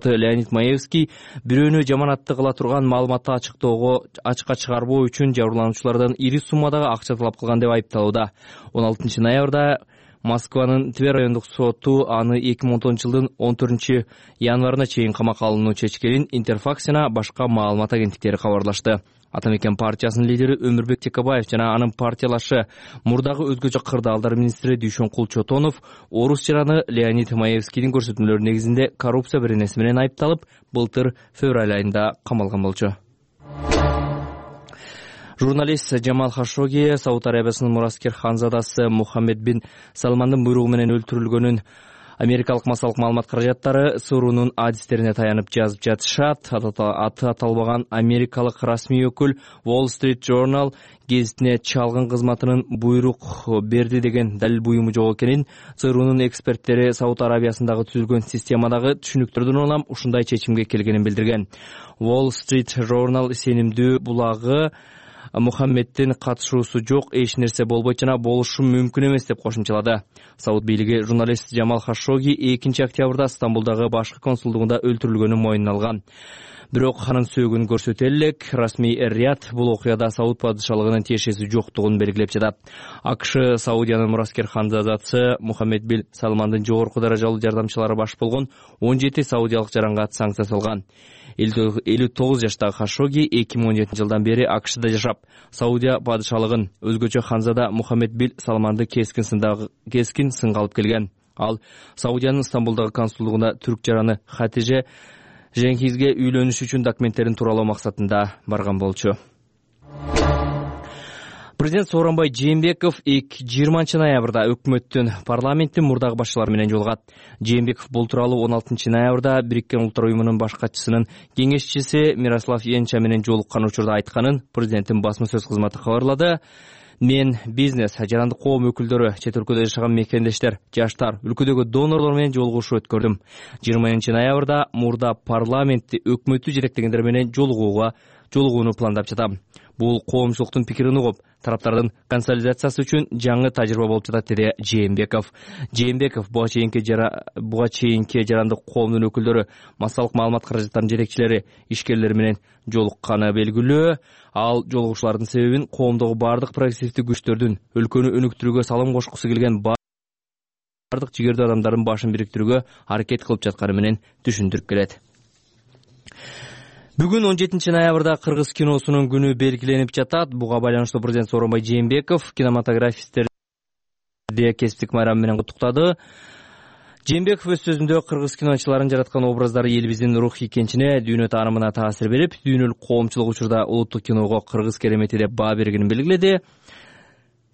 Леонид Маевский бирөөнү жаманатты кыла турган маалыматты ачыктоого ачыкка чыгарбоо үчүн жабырлануучулардан ири суммадагы акча талап кылган деп айыпталууда. он алтынчы ноябрда Москванын Тver райондук соту аны эки миң он тогузунчу жылдын он төртүнчү январына чейин камакка алынуу чечкенин Интерфакс жана башка маалымат агенттиктери кабарлашты. Ата Мекен партиясынын лидери Өмүрбек Текебаев жана анын партиялашы мурдагы өзгөчө кырдаалдар министри Дүйшөн Кулчотонов орус жараны Леонид Маевскийдин көрсөтмөлөрү негизинде коррупция беренеси менен айыпталып, былтыр февраль айында камалган болчу. Журналист Жамал Хашоги Сауд Арабиясынын мураскер ханзадасы Мухаммед бин Салмандын буйругу менен өлтүрүлгөнүн Америкалык массалык маалымат каражаттары Суурунун адистерине таянып жазып жатышат. Аты аталбаган америкалык расмий өкүл Wall Street Journal гезитине чалгын кызматынын буйрук берди деген далил буюму жок экенин, ЦРУнун эксперттери Сауд Арабиясындагы түзүлгөн системадагы түшүнүктөрдөн улам ушундай чечимге келгенин билдирген. Wall Street Journal сенимдүү булагы Мухаммеддин катышуусу жок, эч нерсе болбойт жана болушу мүмкүн эмес деп кошумчалады. Сауд бийлиги журналист Жамал Хашоги экинчи октябрда Стамбулдагы башкы консулдугунда өлтүрүлгөнүн мойнуна алган. Бирок анын сөөгүн көрсөтө элек, расмий эр-Рияд бул окуяда Сауд падышалыгынын тиешеси жоктугун белгилеп жатат. АКШ Саудиянын мураскер ханзадасы Мухаммед бин Салмандын жогорку даражалуу жардамчылары баш болгон он жети саудиялык жаранга санкция салган. элүү тогуз жаштагы Хашоги эки миң он жетинчи жылдан бери АКШда жашап, Саудия падышалыгын, өзгөчө ханзада Мухаммед бин Салманды кескин сындагы кескин сынга алып келген. Ал Саудиянын Стамбулдагы консулдугуна түрк жараны Хатиже Женхизге үйлөнүш үчүн документтерин тууралоо максатында барган болчу. Президент Сооронбай Жээнбеков жыйырманчы ноябрда өкмөттүн, парламенттин мурдагы башчылары менен жолугат. Жээнбеков бул тууралуу он алтынчы ноябрда Бириккен Улуттар уюмунун баш катчысынын кеңешчиси Мирослав Енча менен жолуккан учурда айтканын президенттин басма сөз кызматы кабарлады. Мен бизнес, жарандык коом өкүлдөрү, чет өлкөдө жашаган мекендештер, жаштар, өлкөдөгү донорлор менен жолугушуу өткөрдүм. жыйырманчы ноябрда мурда парламентти, өкмөттү жетектегендер менен жолугууга жолугууну пландап жатам. Бул коомчулуктун пикирин угуп, тараптардын консолидациясы үчүн жаңы тажрыйба болуп жатат, деди Жээнбеков. Жээнбеков буга чейинки жара буга чейинки жарандык коомдун өкүлдөрү, массалык маалымат каражаттарынын жетекчилери, ишкерлер менен жолукканы белгилүү. Ал жолугушуулардын себебин коомдогу бардык прогрессивдүү күчтөрдүн өлкөнү өнүктүрүүгө салым кошкусу келген бардык жигердүү адамдардын башын бириктирүүгө аракет кылып жатканы менен түшүндүрүп келет. Бүгүн он жетинчи ноябрда кыргыз киносунун күнү белгиленип жатат. Буга байланыштуу президент Сооронбай Жээнбеков кинематографисттерди кесиптик майрам менен куттуктады. Жээнбеков өз сөзүндө кыргыз киночуларын жараткан образдары элибиздин рухий кенчине, дүйнө таанымына таасир берип, дүйнөлүк коомчулук учурда улуттук киного кыргыз керемети деп баа бергенин белгиледи.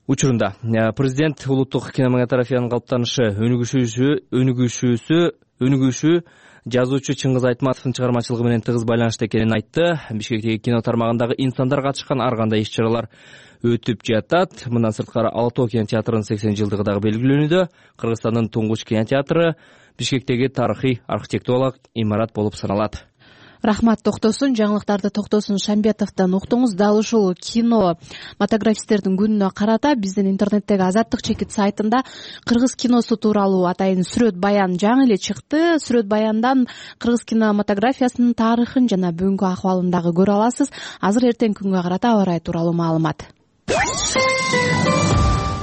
Учурунда президент улуттук кинематографиянын калыптанышы, өнүгүшүсү, өнүгүшүсү, өнүгүшү жазуучу Чыңгыз Айтматовдун чыгармачылыгы менен тыгыз байланышта экенин айтты. Бишкектеги кино тармагындагы инсандар катышкан ар кандай иш-чаралар өтүп жатат. Мындан сырткары Ала Тоо кинотеатрынын сексен жылдыгы дагы белгилөнүүдө. Кыргызстандын туңгуч кинотеатры Бишкектеги тарыхый архитектуралык имарат болуп саналат. Рахмат токтосун, жаңылыктарды Токтосун Шамбетовдон уктуңуз. Дал ушул кинематографисттердин күнүнө карата биздин интернеттеги Азаттык чекит сайтында кыргыз киносу тууралуу атайын сүрөт баян жаңы эле чыкты. Сүрөт баяндан кыргыз кинематографиясынын тарыхын жана бүгүнкү акыбалын дагы көрө аласыз. Азыр эртеңки күнгө карата аба ырайы тууралуу маалымат.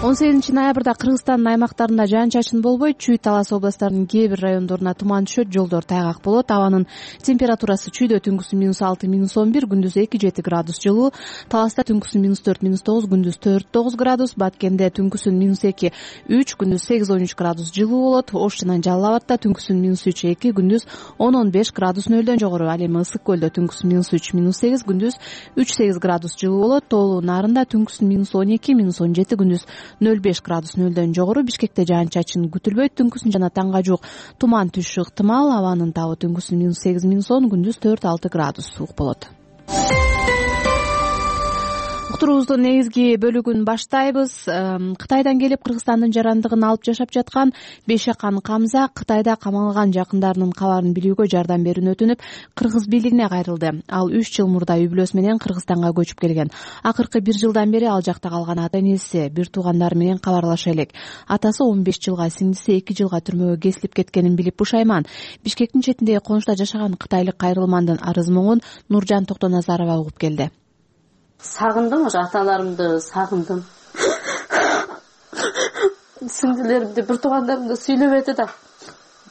он сегизинчи ноябрда Кыргызстандын аймактарында жаан-чачын болбойт. Чүй, Талас областарынын кээ бир райондоруна туман түшөт, жолдор тайгак болот. Абанын температурасы чүйдө түнкүсү минус алты, минус он бир, күндүз эки жети градус жылуу. Таласта түнкүсү минус төрт, минус тогуз, күндүз төрт тогуз градус. Баткенде түнкүсүн минус эки, үч, күндүз сегиз он үч градус жылуу болот. Ош жана Жалал Абадта түнкүсүн минус үч, эки, күндүз он он беш градус нөлдөн жогору. Ал эми Ысык көлдө түнкүсү минус үч, минус сегиз, күндүз үч сегиз градус жылуу болот. Тоолуу Нарында түнкүсүн минус он эки, минус он жети, күндүз нөл беш градус нөлдөн жогору. Бишкекте жаан-чачын күтүлбөйт. Түнкүсүн жана таңга жуук туман түшүшү ыктымал. Абанын табы түнкүсүн минус сегиз, минус он, күндүз төрт алты градус суук болот. Уктуруубуздун негизги бөлүгүн баштайбыз. Кытайдан келип Кыргызстандын жарандыгын алып жашап жаткан Бейшакан Камза Кытайда камалган жакындарынын кабарын билүүгө жардам берүүнү өтүнүп, кыргыз бийлигине кайрылды. Ал үч жыл мурда үй бүлөсү менен Кыргызстанга көчүп келген. Акыркы бир жылдан бери ал жакта калган ата-энеси, бир туугандары менен кабарлаша элек. Атасы он беш жылга, сиңдиси эки жылга түрмөгө кесилип кеткенин билип пушайман. Бишкектин четиндеги конушта жашаган кытайлык кайрылмандын арыз моңун Нуржан Токтоназарова угуп келди. Сагындым, ошо аталарымды сагындым. Сиңдилеримди, бир туугандарымды сүйлөбөдү да.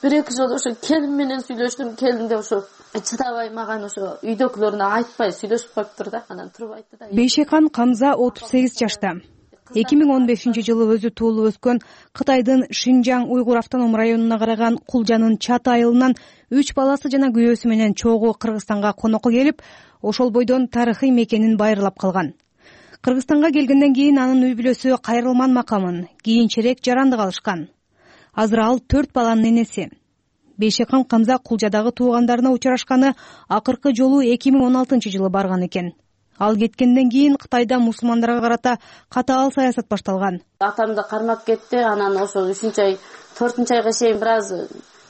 Бир-эки жолу ошо келин менен сүйлөштүм. Келин де ошо чыдабай маган ошо үйдөгүлөрүнө айтпай сүйлөшүп коюптур да. Анан туруп айтты да. Бейшакан Камза отуз сегиз жашта. эки миң он бешинчи жылы өзү туулуп өскөн Кытайдын Шинжаң уйгур автоном районуна караган Кулжанын Чат айылынан үч баласы жана күйөөсү менен чогуу Кыргызстанга конокко келип, ошол бойдон тарыхый мекенин байырлап калган. Кыргызстанга келгенден кийин анын үй бүлөсү кайрылман макамын, кийинчерээк жарандык алышкан. Азыр ал төрт баланын энеси. Бейшакан Камза Кулжадагы туугандарына учурашканы акыркы жолу эки миң он алтынчы жылы барган экен. Ал кеткенден кийин Кытайда мусулмандарга карата катаал саясат башталган. Атамды кармап кетти, анан ошо үчүнчү ай, төртүнчү айга чейин бир аз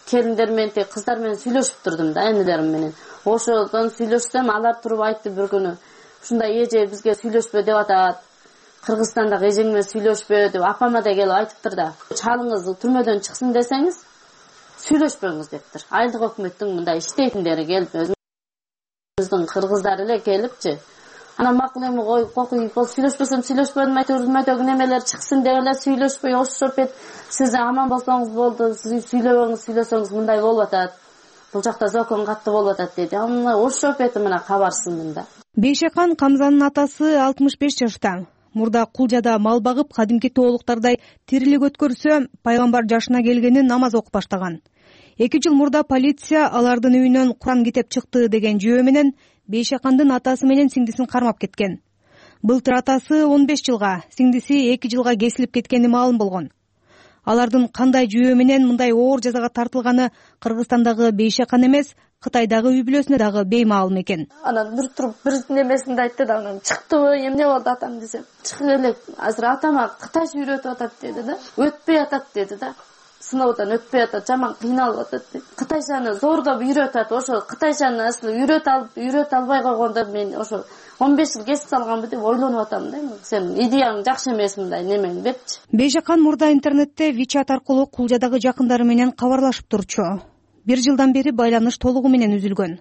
келиндер менен, кыздар менен сүйлөшүп турдум да, энелерим менен. Ошодон сүйлөшсөм, алар туруп айтты бир күнү, ушундай эже бизге сүйлөшпө деп атат. Кыргызстандагы эжең менен сүйлөшпө деп апама да келип айтыптыр да. Чалыңыз түрмөдөн чыксын десеңиз, сүйлөшпөңүз дептир. Айылдык өкмөттүн мындай иштейтиндери келип, өзүбүздүн кыргыздар эле келипчи. Анан макул эми ой, кокуй, бол сүйлөшпөсөм сүйлөшпөдүм, түрмөдөгү немелер чыксын деп эле сүйлөшпөй ошоп эт. Сиз аман болсоңуз болду, сиз сүйлөбөңүз, сүйлөсөңүз мындай болуп атат. Бул жакта закон катты болуп атат деди. Аны ошоп эт мына кабарсындым да. Бейшакан Камзанын атасы алтымыш беш жашта. Мурда Кулжада мал багып, кадимки тоолуктардай тирилик өткөрсө, пайгамбар жашына келгени намаз окуп баштаган. Эки жыл мурда полиция алардын үйүнөн Куран китеп чыкты деген жүйө менен Бейшакандын атасы менен сиңдисин кармап кеткен. Былтыр атасы он беш жылга, сиңдиси эки жылга кесилип кеткени маалым болгон. Алардын кандай жүйө менен мындай оор жазага тартылганы Кыргызстандагы Бейшакан эмес, Кытайдагы үй бүлөсүнө дагы беймаалым экен. Анан бир туруп бир немесинде айтты да, анан чыктыбы, эмне болду атам десем, чыгып элек, азыр атама кытайча үйрөтүп атат деди да, өтпөй атат деди да. Сыноодон өтпөй атат, жаман кыйналып атат деп. Кытайчаны зордоп үйрөтүп атат. Ошо кытайчаны асыл үйрөтө алып, үйрөтө албай койгондо мен ошо он беш жыл кесип салганбы деп ойлонуп атам да. Сен идеяң жакшы эмес, мындай немең депчи. Бейшакан мурда интернетте WeChat аркылуу Кулжадагы жакындары менен кабарлашып турчу. Бир жылдан бери байланыш толугу менен үзүлгөн.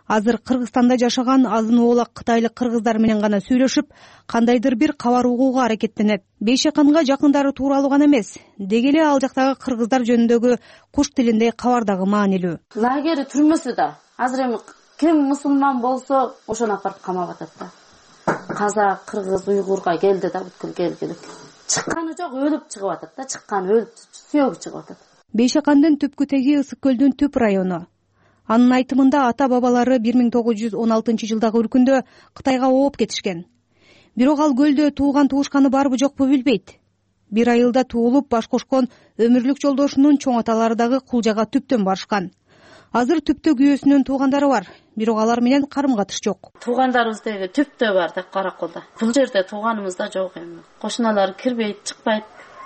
Азыр Кыргызстанда жашаган азын оолак кытайлык кыргыздар менен гана сүйлөшүп, кандайдыр бир кабар угууга аракеттенет. Бейшаканга жакындары тууралуу гана эмес, деги эле ал жактагы кыргыздар жөнүндөгү куш тилинде кабар дагы маанилүү. Лагери түрмөсү да. Азыр эми ким мусулман болсо, ошону апарып камап атат да. Казак, кыргыз, уйгурга келди да, бүткүл келгилик. Чыкканы жок, өлүп чыгып атат да, чыкканы өлүп, сүйөгү чыгып атат. Бейшакандын түпкү теги Ысык көлдүн түп району. Анын айтымында ата-бабалары бир миң тогуз жүз он алтынчы жылдагы үркүндө Кытайга ооп кетишкен. Бирок ал көлдө тууган туушканы барбы жокпу билбейт. Бир айылда туулуп баш кошкон өмүрлүк жолдошунун чоң аталары дагы Кулжага түптөн барышкан. Азыр түптө күйөөсүнүн туугандары бар, бирок алар менен карым-катыш жок. Туугандарыбыз деги түптө бар да, Караколдо. Бул жерде тууганыбыз да жок эми. Кошуналар кирбейт, чыкпайт.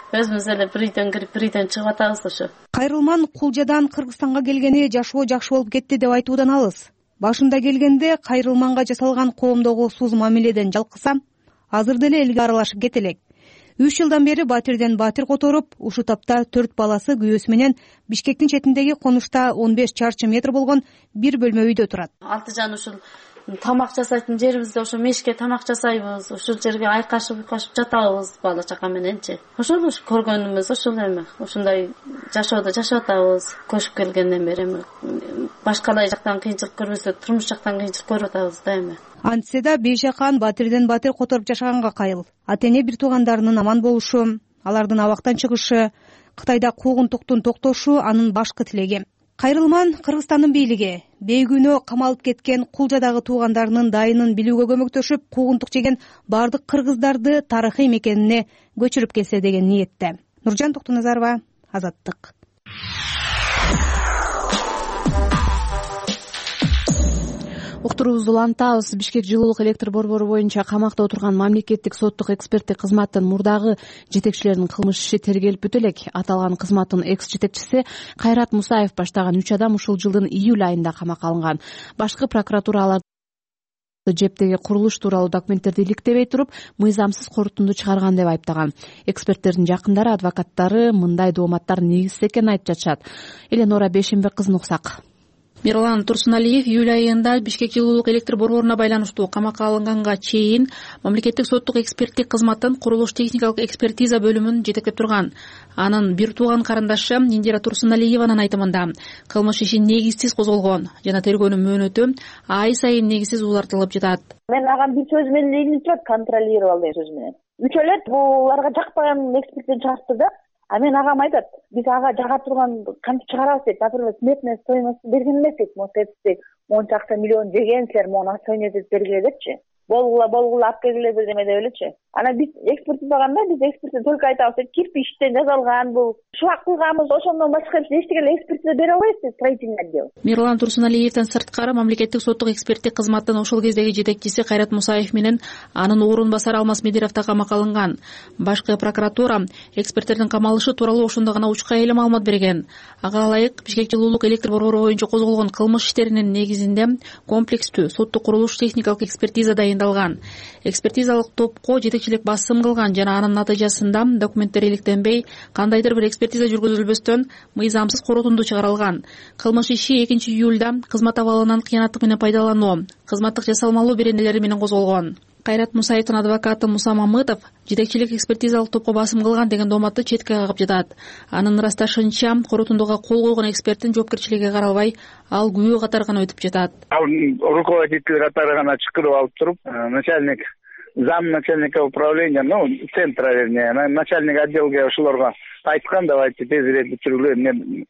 Өзүбүз эле бир үйдөн кирип, бир үйдөн чыгып атабыз ошо. Кайрылман Кулжадан Кыргызстанга келгени жашоо жакшы болуп кетти деп айтуудан алыс. Башында келгенде Кайрылманга жасалган коомдогу сууз мамиледен жалкысам, азыр деле элге аралашып кетелек. Үч жылдан бери батирден батир которуп, ушул тапта төрт баласы күйөөсү менен Бишкектин четиндеги конушта он беш чарчы метр болгон бир бөлмө үйдө турат. Алты жан ушул тамак жасайтын жерибизде ошо мешке тамак жасайбыз, ушул жерге айкашып уйкашып жатабыз бала чака мененчи. Ошол ушу көргөнүмүз ошол эми. Ушундай жашоодо жашап атабыз. Көчүп келгенден бери эми башкалай жактан кыйынчылык көрбөсө, турмуш жактан кыйынчылык көрүп атабыз да эми. Антсе да Бейшакан батирден батир которуп жашаганга кайыл. Ата-эне бир туугандарынын аман болушу, алардын абактан чыгышы, Кытайда куугунтуктун токтошу анын башкы тилеги. Кайрылман Кыргызстандын бийлиги бейгүнөө камалып кеткен Кулжадагы туугандарынын дайынын билүүгө көмөктөшүп, куугунтук жеген бардык кыргыздарды тарыхый мекенине көчүрүп келсе деген ниетте. Нуржан Токтоназарова, Азаттык. Уктуруубузду улантабыз. Бишкек жылуулук электр борбору боюнча камакта отурган мамлекеттик соттук эксперттик кызматтын мурдагы жетекчилеринин кылмыш иши тергелип бүтө элек. Аталган кызматтын экс жетекчиси Кайрат Мусаев баштаган үч адам ушул жылдын июль айында камакка алынган. Башкы прокуратура аларды жептеги курулуш тууралуу документтерди иликтебей туруп, мыйзамсыз корутунду чыгарган деп айыптаган. Эксперттердин жакындары, адвокаттары мындай дооматтар негизсиз экенин айтып жатышат. Эленора Бешенбек кызын уксак. Мирлан Турсуналиев июль айында Бишкек жылуулук электр борборуна байланыштуу камакка алынганга чейин мамлекеттик соттук эксперттик кызматтын курулуш техникалык экспертиза бөлүмүн жетектеп турган. Анын бир тууган карындашы Индира Турсуналиеванын айтымында кылмыш иши негизсиз козголгон жана тергөөнүн мөөнөтү ай сайын негизсиз узартылып жатат. Мен агам бир сөз менен илинип турат, контролировал деген сөз менен. Үч элет буларга жакпаган эксперттен чыгартты да. А мен агам айтат, биз ага жага турган кантип чыгарабыз дейт. Например, сметная стоимость берген эмес дейт. Монча монча акча миллион жеген силер, мону стоимость бергиле депчи. болгула болгула алып келгиле бир неме деп элечи. Анан биз экспертизаганда биз экспертиза только айтабыз, кирпичтен жасалган бул, шулак кылганбыз, ошондон башка эчтеке эле экспертиза бере албайбыз деп строительный отдел. Мирлан Турсуналиевден сырткары мамлекеттик соттук эксперттик кызматтын ошол кездеги жетекчиси Кайрат Мусаев менен анын орун басары Алмаз Медиров да камакка алынган. Башкы прокуратура эксперттердин камалышы тууралуу ошондо гана учка эле маалымат берген. Ага ылайык Бишкек жылуулук электр борбору боюнча козголгон кылмыш иштеринин негизинде комплекстүү соттук курулуш техникалык экспертиза дайындалган. Экспертизалык топко жетекчилик басым кылган жана анын натыйжасында документтер иликтенбей, кандайдыр бир экспертиза жүргүзүлбөстөн мыйзамсыз коротунду чыгарылган. Кылмыш иши экинчи июлда кызмат абалынан кыянаттык менен пайдалануу, кызматтык жасалмалуу беренелери менен козголгон. Кайрат Мусаевдин адвокаты Муса Мамытов жетекчилик экспертизалык топко басым кылган деген дооматты четке кагып жатат. Анын ырасташынча, коротундуга кол койгон эксперттин жоопкерчилиги каралбай, ал күбө катары гана өтүп жатат. Ал руководитель катары гана чакырып алып туруп, начальник зам начальника управления, ну, центра, вернее, начальник отделге ошолорго айткан, давайте тезирээк бүтүргүлө, эмне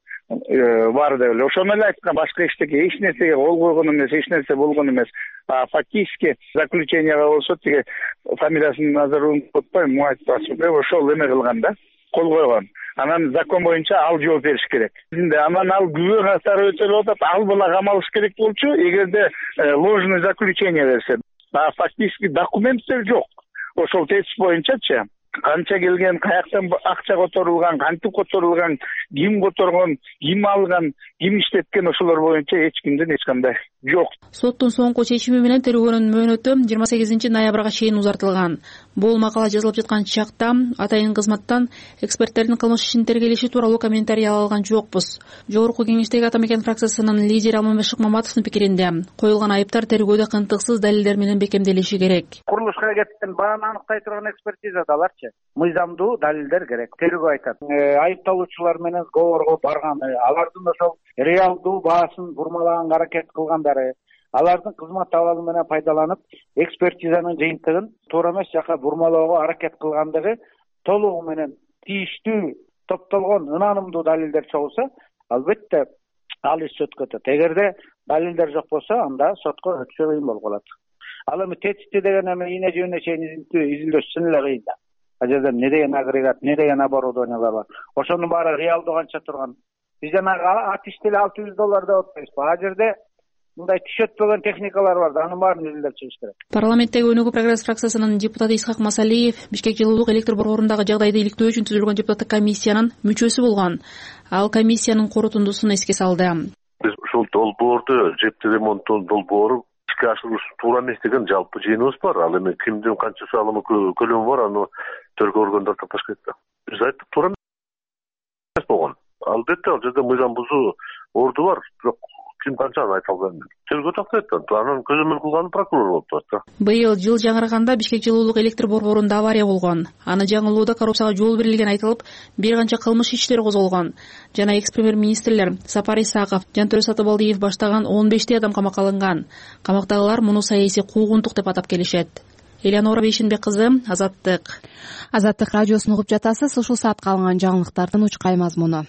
бар деп эле. Ошону эле айткан, башка эчтеке эч нерсеге кол койгон эмес, эч нерсе болгон эмес. А фактически заключенияга болсо тиги фамилиясын азыр унутпайм, Муатасов ошол эме кылган да, кол койгон. Анан закон боюнча ал жооп бериш керек. Анан ал күбө катары өтөлүп атат, ал бала камалыш керек болчу, эгерде ложный заключение берсе. А фактически документтер жок. Ошол тезис боюнчачы канча келген, каяктан акча которулган, кантип которулган, ким которгон, ким алган, ким иштеткен, ошолор боюнча эч кимден эч кандай жок. Соттун соңку чечими менен тергөөнүн мөөнөтү жыйырма сегизинчи ноябрга чейин узартылган. Бул макала жазылып жаткан чакта атайын кызматтан эксперттердин кылмыш ишин тергелеши тууралуу комментарий ала алган жокпуз. Жогорку кеңештеги Ата Мекен фракциясынын лидери Алмамбет Шыкмаматовдун пикиринде, коюлган айыптар тергөөдө кынтыксыз далилдер менен бекемделиши керек. Курулушка кеткен бааны аныктай турган экспертизадаларчы мыйзамдуу далилдер керек. Тергөө айтат, айыпталуучулар менен сговорго барган, алардын ошол реалдуу баасын бурмалаганга аракет кылгандары, алардын кызмат абалы менен пайдаланып, экспертизанын жыйынтыгын туура эмес жака бурмалоого аракет кылгандыгы толугу менен тийиштүү топтолгон ынанымдуу далилдер чогулса, албетте ал иш сотко өтөт. Эгерде далилдер жок болсо, анда сотко өтүшү кыйын болуп калат. Ал эми тетикти деген эми ийне жөнүнө чейин изилдөө чын эле кыйын да. А жерде эмне деген агрегат, эмне деген оборудованиялар бар. Ошонун баары реалдуу канча турган. Биз жанагы ат иштели алты жүз доллар деп атпайбызбы? А жерде мындай түш өтпөгөн техникалар бар да, анын баарын изилдеп чыгыш керек. Парламенттеги Өнүгүү прогресс фракциясынын депутаты Исхак Масалиев Бишкек жылуулук электр борборундагы жагдайды иликтөө үчүн түзүлгөн депутаттык комиссиянын мүчөсү болгон. Ал комиссиянын корутундусун эске салды. Биз ушул долбоорду, жепти ремонттун долбоору ишке ашырууш туура эмес деген жалпы жыйыныбыз бар. Ал эми кимдин канча салымы көлөмү бар, аны тергөө органдар тапаш керек да. Биз айттык, туура эмес болгон. Албетте ал жерде мыйзам бузуу орду бар, бирок ким канчаны айта албайм. Тергөө тактайт да, анын көзөмөл кылганы прокурор болуп турат да. Быйыл жыл жаңырганда Бишкек жылуулук электр борборунда авария болгон. Аны жаңылоодо коррупцияга жол берилген айтылып, бир канча кылмыш иштери козголгон. Жана экс-премьер-министрлер Сапар Исаков, Жантөрө Сатыбалдиев баштаган он бештей адам камакка алынган. Камактагылар муну саясий куугунтук деп атап келишет. Элеонора Бейшенбек кызы, Азаттык. Азаттык радиосун угуп жатасыз. Ушул саатка алынган жаңылыктардын учкай мазмуну.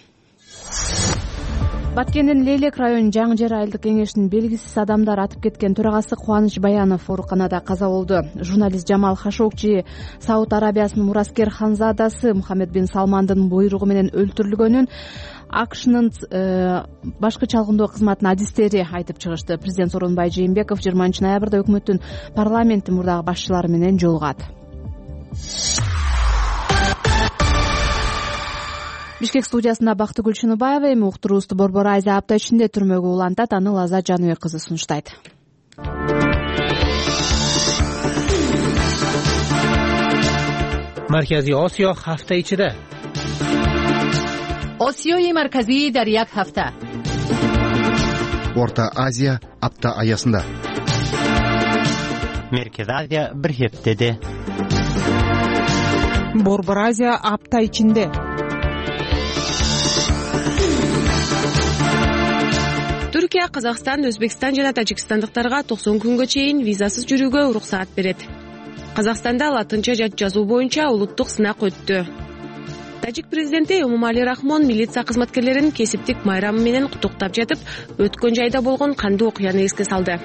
Баткендин Лейлек районунун Жаңы Жер айылдык кеңешинин белгисиз адамдар атып кеткен төрагасы Кубаныч Баянов ооруканада каза болду. Журналист Жамал Хашокчи Сауд Арабиясынын мураскер ханзадасы Мухаммед бин Салмандын буйругу менен өлтүрүлгөнүн АКШнын башкы чалгындоо кызматынын адистери айтып чыгышты. Президент Сооронбай Жээнбеков жыйырманчы ноябрда өкмөттүн парламенттин мурдагы башчылары менен жолугат. Бишкек студиясында Бактыгүл Чыныбаева, эми уктуруубузду Борбор Азия апта ичинде түрмөгө улантат, аны Лаза Жаныбек кызы сунуштайт. Маркази Осиё ҳафта ичиде. Осиёи марказӣ дар як ҳафта. Орта Азия апта аясында. Меркез Азия бир ҳафтаде. Борбор Азия апта ичинде. Түркия, Казакстан, Өзбекстан жана Тажикстандыктарга токсон күнгө чейин визасыз жүрүүгө уруксаат берет. Казакстанда латынча жат жазуу боюнча улуттук сынак өттү. Тажик президенти Эмомали Рахмон милиция кызматкерлерин кесиптик майрамы менен куттуктап жатып, өткөн жайда болгон кандуу окуяны эске салды.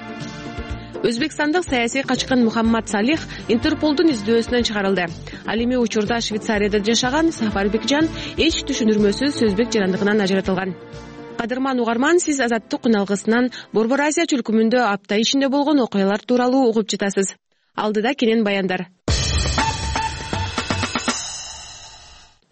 Өзбекстандык саясий качкын Мухаммад Салих Интерполдун издөөсүнөн чыгарылды. Ал эми учурда Швейцарияда жашаган Сафарбекжан эч түшүндүрмөсүз сөзбек жарандыгынан ажыратылган. Кадырман угарман, сиз Азаттык күналгысынан Борбор Азия чөлкөмүндө апта ичинде болгон окуялар тууралуу угуп жатасыз. Алдыда кенен баяндар.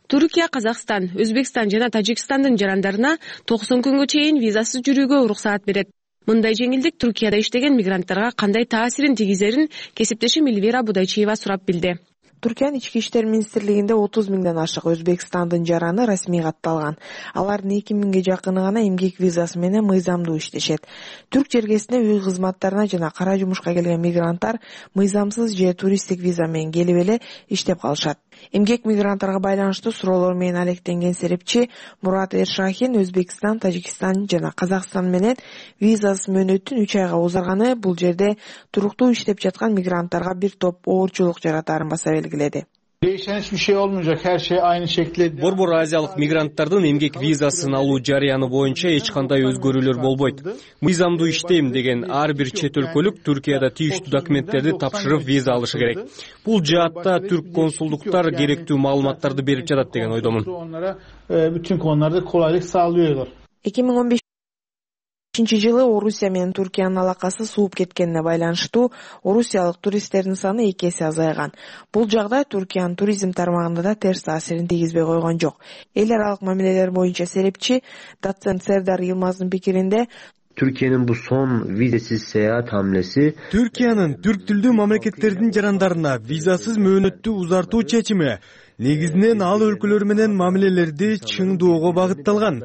Түркия, Казакстан, Өзбекстан жана Тажикстандын жарандарына токсон күнгө чейин визасыз жүрүүгө уруксаат берет. Мындай жеңилдик Түркияда иштеген мигранттарга кандай таасирин тийгизерин кесиптешим Эльвира Будайчиева сурап билди. Түркиянын ички иштер министрлигинде отуз миңден ашык Өзбекстандын жараны расмий катталган. Алардын эки миңге жакыны гана эмгек визасы менен мыйзамдуу иштешет. Түрк жергесине үй кызматтарына жана кара жумушка келген мигранттар мыйзамсыз же туристтик виза менен келип эле иштеп калышат. Эмгек мигранттарга байланыштуу суроолор менен алектенген серепчи Мурат Эршахин Өзбекстан, Тажикстан жана Казакстан менен визасыз мөөнөттүн үч айга узарганы бул жерде туруктуу иштеп жаткан мигранттарга бир топ оорчулук жаратарын баса белгиледи. Değişen hiçbir şey olmayacak. Her şey aynı şekilde. Борбор азиялык мигранттардын эмгек визасын алуу жарыяны боюнча эч кандай өзгөрүүлөр болбойт. Мыйзамдуу иштейм деген ар бир чет өлкөлүк Түркияда тийиштүү документтерди тапшырып виза алышы керек. Бул жаатта түрк консулдуктар керектүү маалыматтарды берип жатат деген ойдомун. Onlara bütün konularda kolaylık sağlıyorlar. эки миң он бешинчи жылы Орусия менен Түркиянын алакасы сууп кеткенине байланыштуу орусиялык туристтердин саны эки эсе азайган. Бул жагдай Түркиянын туризм тармагында да терс таасирин тийгизбей койгон жок. Эл аралык мамилелер боюнча серепчи доцент Сердар Йылмаздын пикиринде Türkiye'nin bu son vizesiz seyahat hamlesi Türkiye'nin Türk tilдүү мамлекеттердин жарандарына визасыз мөөнөттү узартуу чечими негизинен ал өлкөлөр менен мамилелерди чыңдоого багытталган.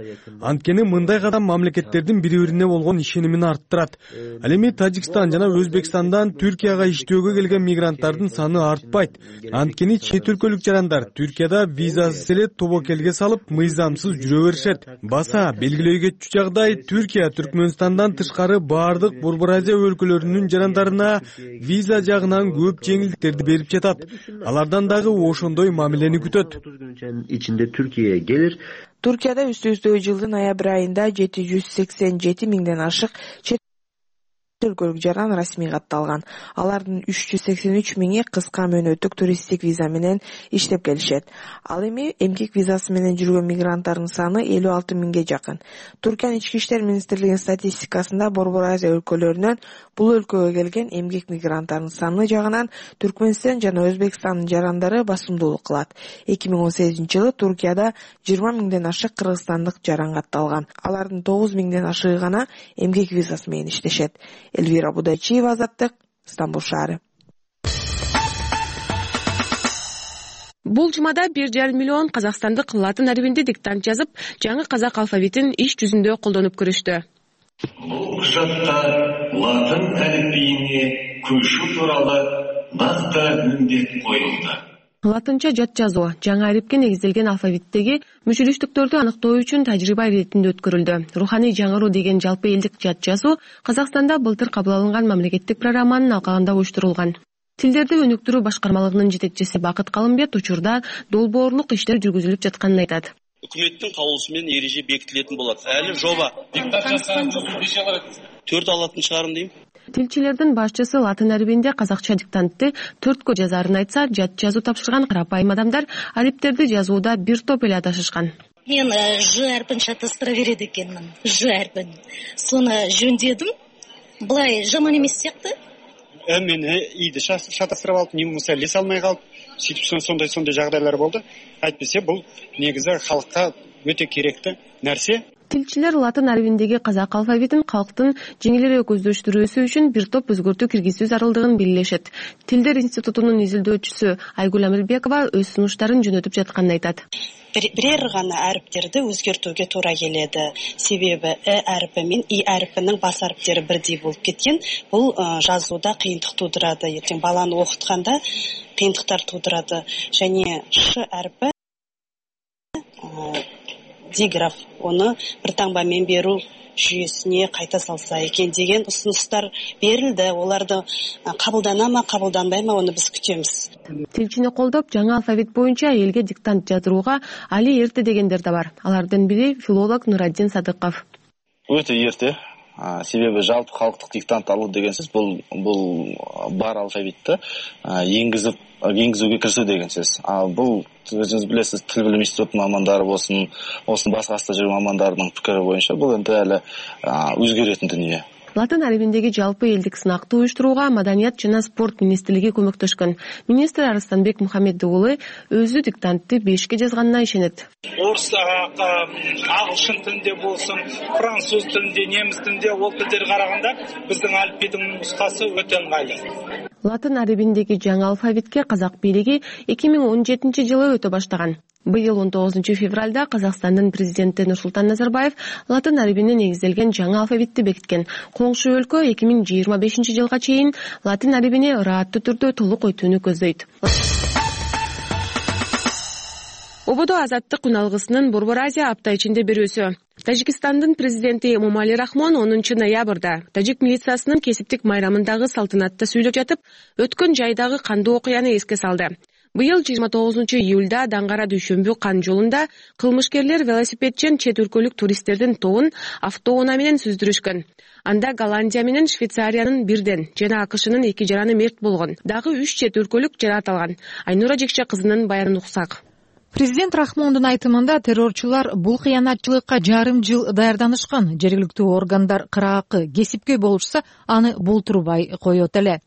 Анткени мындай кадам мамлекеттердин бири-бирине болгон ишенимин арттырат. Ал эми Тажикстан жана Өзбекстандан Түркияга иштөөгө келген мигранттардын саны артпайт. Анткени чет өлкөлүк жарандар Түркияда визасыз эле тобокелге салып мыйзамсыз жүрө беришет. Баса белгилөө кетчү жагдай Түркия Түркмөнстандан тышкары баардык Борбор Азия өлкөлөрүнүн жарандарына виза жагынан көп жеңилдиктерди берип жатат. Алардан дагы ошондой мамиле otuz gün içinde Türkiye'ye gelir. Түркияда үстү-үстү жылдын ноябрь айында жети жүз сексен жети миңден ашык чет өлкөлүк жаран расмий катталган. Алардын үч жүз сексен үч миңи кыска мөөнөттүк туристтик виза менен иштеп келишет. Ал эми эмгек визасы менен жүргөн мигранттардын саны элүү алты миңге жакын. Түркиянын ички иштер министрлигинин статистикасында Борбор Азия өлкөлөрүнөн бул өлкөгө келген эмгек мигранттардын саны жагынан Түркмөнстан жана Өзбекстандын жарандары басымдуулук кылат. эки миң он сегизинчи жылы Түркияда жыйырма миңден ашык кыргызстандык жаран катталган. Алардын тогуз миңден ашыгы гана эмгек визасы менен иштешет. Эльвира Будайчиева, Азаттык, Стамбул шаары. Бул жумада бир жарым миллион казакстандык латын арбинде диктант жазып, жаңы казак алфавитин иш жүзүндө колдонуп көрүштү. Бул кучатта латын алфавитине көчүү тууралуу накты милдет коюлду. Латынча жат жазуу жаңы арипке негизделген алфавиттеги мүчүлүштүктөрдү аныктоо үчүн тажрыйба иретинде өткөрүлдү. Руханий жаңыруу деген жалпы элдик жат жазуу Казакстанда былтыр кабыл алынган мамлекеттик программанын алкагында уюштурулган. Тилдерди өнүктүрүү башкармалыгынын жетекчиси Бакыт Калымбет учурда долбоорлук иштер жүргүзүлүп жатканын айтат. Өкмөттүн кабулусу менен эреже бекитилетін болот. Әлі жоба. төрт алатын чыгарым дейм. Тилчилердин башчысы латын арбинде казакча диктантты төрткө жазарын айтса, жат жазуу тапшырган карапайым адамдар ариптерди жазууда бир топ эле адашышкан. Мен ж арпын шатастыра береді екенмін. Ж арпын. Соны жөндедім. Былай жаман емес сияқты. Мен иді шатастырып алып, не болмаса ілесе алмай қалып, сөйтіп сондай-сондай жағдайлар болды. Айтпесе бұл негізі халыққа өте керекті нәрсе. Тилчилер латын арбиндеги казак алфавитин калктын жеңилирээк көздөштүрүүсү үчүн бир топ өзгөртүү киргизүү зарылдыгын белгилешет. Тилдер институтунун изилдөөчүсү Айгүл Амирбекова өз сунуштарын жөнөтүп жатканын айтат. Бирер гана ариптерди өзгөртүүгө туура келеді. Себеби э арипи мен и арипинин бас ариптери бирдей болуп кеткен. Бул жазууда кыйынтык туудурат. Эртең баланы окутканда кыйынтыктар туудурат. Және ш арипи диграф оны бір таңбамен беру жүйесіне қайта салса екен деген ұсыныстар берілді. Оларды қабылдана ма, қабылданбай ма, оны біз күтеміз. Тилчини колдоп, жаңа алфавит боюнча элге диктант жаздырууга али эрте дегендер да бар. Алардын бири филолог Нураддин Садыков. Өтө эрте. себеби жалпы калктык диктант алуу деген сөз бул бул бар алфавитти энгизип энгизүүгө киришүү деген сөз. А бул өзүңүз билесиз, тил билим институтунун мамандары болсун, болсун башка касында жүргөн мамандардын пикири боюнча бул эми эле өзгөрөтүн дүнүйө. Латын арабиндеги жалпы элдик сынакты уюштурууга Маданият жана спорт министрлиги көмөктөшкөн. Министр Арыстанбек Мухаммед уулу өзү диктантты бешке жазганына ишенет. Орус, агылшын тилинде болсун, француз тилинде, немис тилинде ол тилдерге караганда биздин алфавиттин нускасы өтө ыңгайлуу. Латын арабиндеги жаңы алфавитке казак бийлиги эки миң он жетинчи жылы өтө баштаган. Быйыл он тогузунчу февралда Казакстандын президенти Нурсултан Назарбаев латын арабине негизделген жаңы алфавитти бекиткен. Коңшу өлкө эки миң жыйырма бешинчи жылга чейин латын арабине ырааттуу түрдө толук өтүүнү көздөйт. Ободо азаттык үналгысынын Борбор Азия апта ичинде берүүсү. Тажикстандын президенти Эмомали Рахмон онунчу ноябрда тажик милициясынын кесиптик майрамындагы салтанатта сүйлөп жатып, өткөн жайдагы кандуу окуяны эске салды. Быйыл жыйырма тогузунчу июлда Даңгара Дүйшөмбү Кан жолунда кылмышкерлер велосипедчен чет өлкөлүк туристтердин тобун автоунаа менен сүздүрүшкөн. Анда Голландия менен Швейцариянын бирден жана АКШнын эки жараны мерт болгон. Дагы үч чет өлкөлүк жараат алган. Айнура Жекче кызынын баянын уксак. Президент Рахмондун айтымында террорчулар бул кыянатчылыкка жарым жыл даярданышкан. Жергиликтүү органдар кыраакы кесипкөй болушса, аны болтурбай коет эле.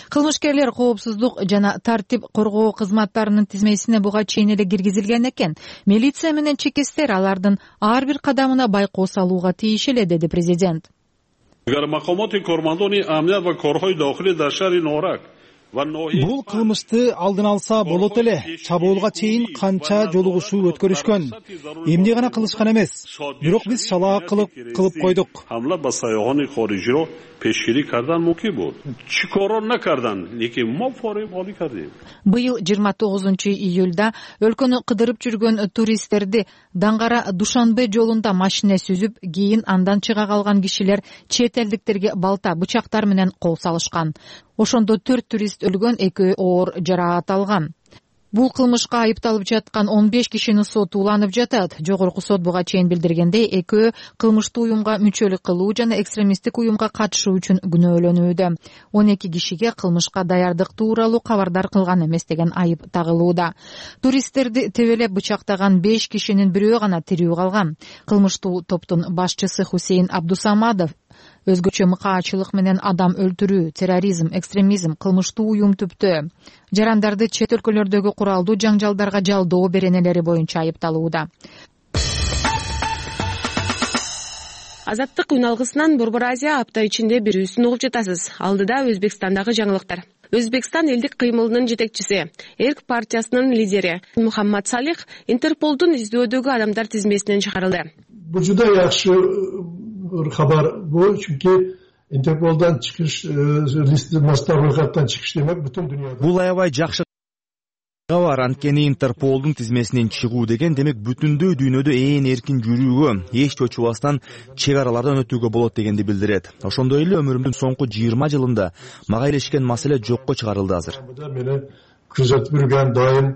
Кылмышкерлер коопсуздук жана тартип коргоо кызматтарынын тизмесине буга чейин эле киргизилген экен. Милиция менен чекестер алардын ар бир кадамына байкоо салууга тийиш эле, деди президент. Бул кылмышты алдын алса болот эле. Чабуулга чейин канча жолугушуу өткөрүшкөн. Эмне гана кылышкан эмес. Бирок биз шалаа кылып кылып койдук. Быйыл жыйырма тогузунчу июлда өлкөнү кыдырып жүргөн туристтерди Даңгара Душанбе жолунда машина сүзүп, кийин андан чыга калган кишилер чет элдиктерге балта, бычактар менен кол салышкан. Ошондо төрт турист өлгөн, экөө оор жараат алган. Бул кылмышка айыпталып жаткан он беш кишинин соту уланып жатат. Жогорку сот буга чейин билдиргендей, экөө кылмыштуу уюмга мүчөлүк кылуу жана экстремисттик уюмга катышуу үчүн күнөөлөнүүдө. он эки кишиге кылмышка даярдык тууралуу кабардар кылган эмес деген айып тагылууда. Туристтерди тебелеп бычактаган беш кишинин бирөө гана тирүү калган. Кылмыштуу топтун башчысы Хусейн Абдусамадов өзгөчө мыкаачылык менен адам өлтүрүү, терроризм, экстремизм, кылмыштуу уюм түптөө. Жарандарды чет өлкөлөрдөгү куралдуу жаңжалдарга жалдоо беренелери боюнча айыпталууда. Азаттык үналгысынан Борбор Азия апта ичинде берүүсүн угуп жатасыз. Алдыда Өзбекстандагы жаңылыктар. Өзбекстан элдик кыймылынын жетекчиси, Эрк партиясынын лидери Мухаммад Салих Интерполдун издөөдөгү адамдар тизмесинен чыгарылды. Бул жуда жакшы хабар бул, чүнки Интерполдан чыгыш, листен чыгыш демек бүтүн дүйнөдө. Бул аябай жакшы кабар, анткени Интерполдун тизмесинен чыгуу деген демек бүтүндөй дүйнөдө ээн эркин жүрүүгө, эч чочубастан чек аралардан өтүүгө болот дегенди билдирет. Ошондой эле өмүрүмдүн соңку жыйырма жылында мага илешкен маселе жокко чыгарылды азыр. Менен күзөтүп жүргөн дайым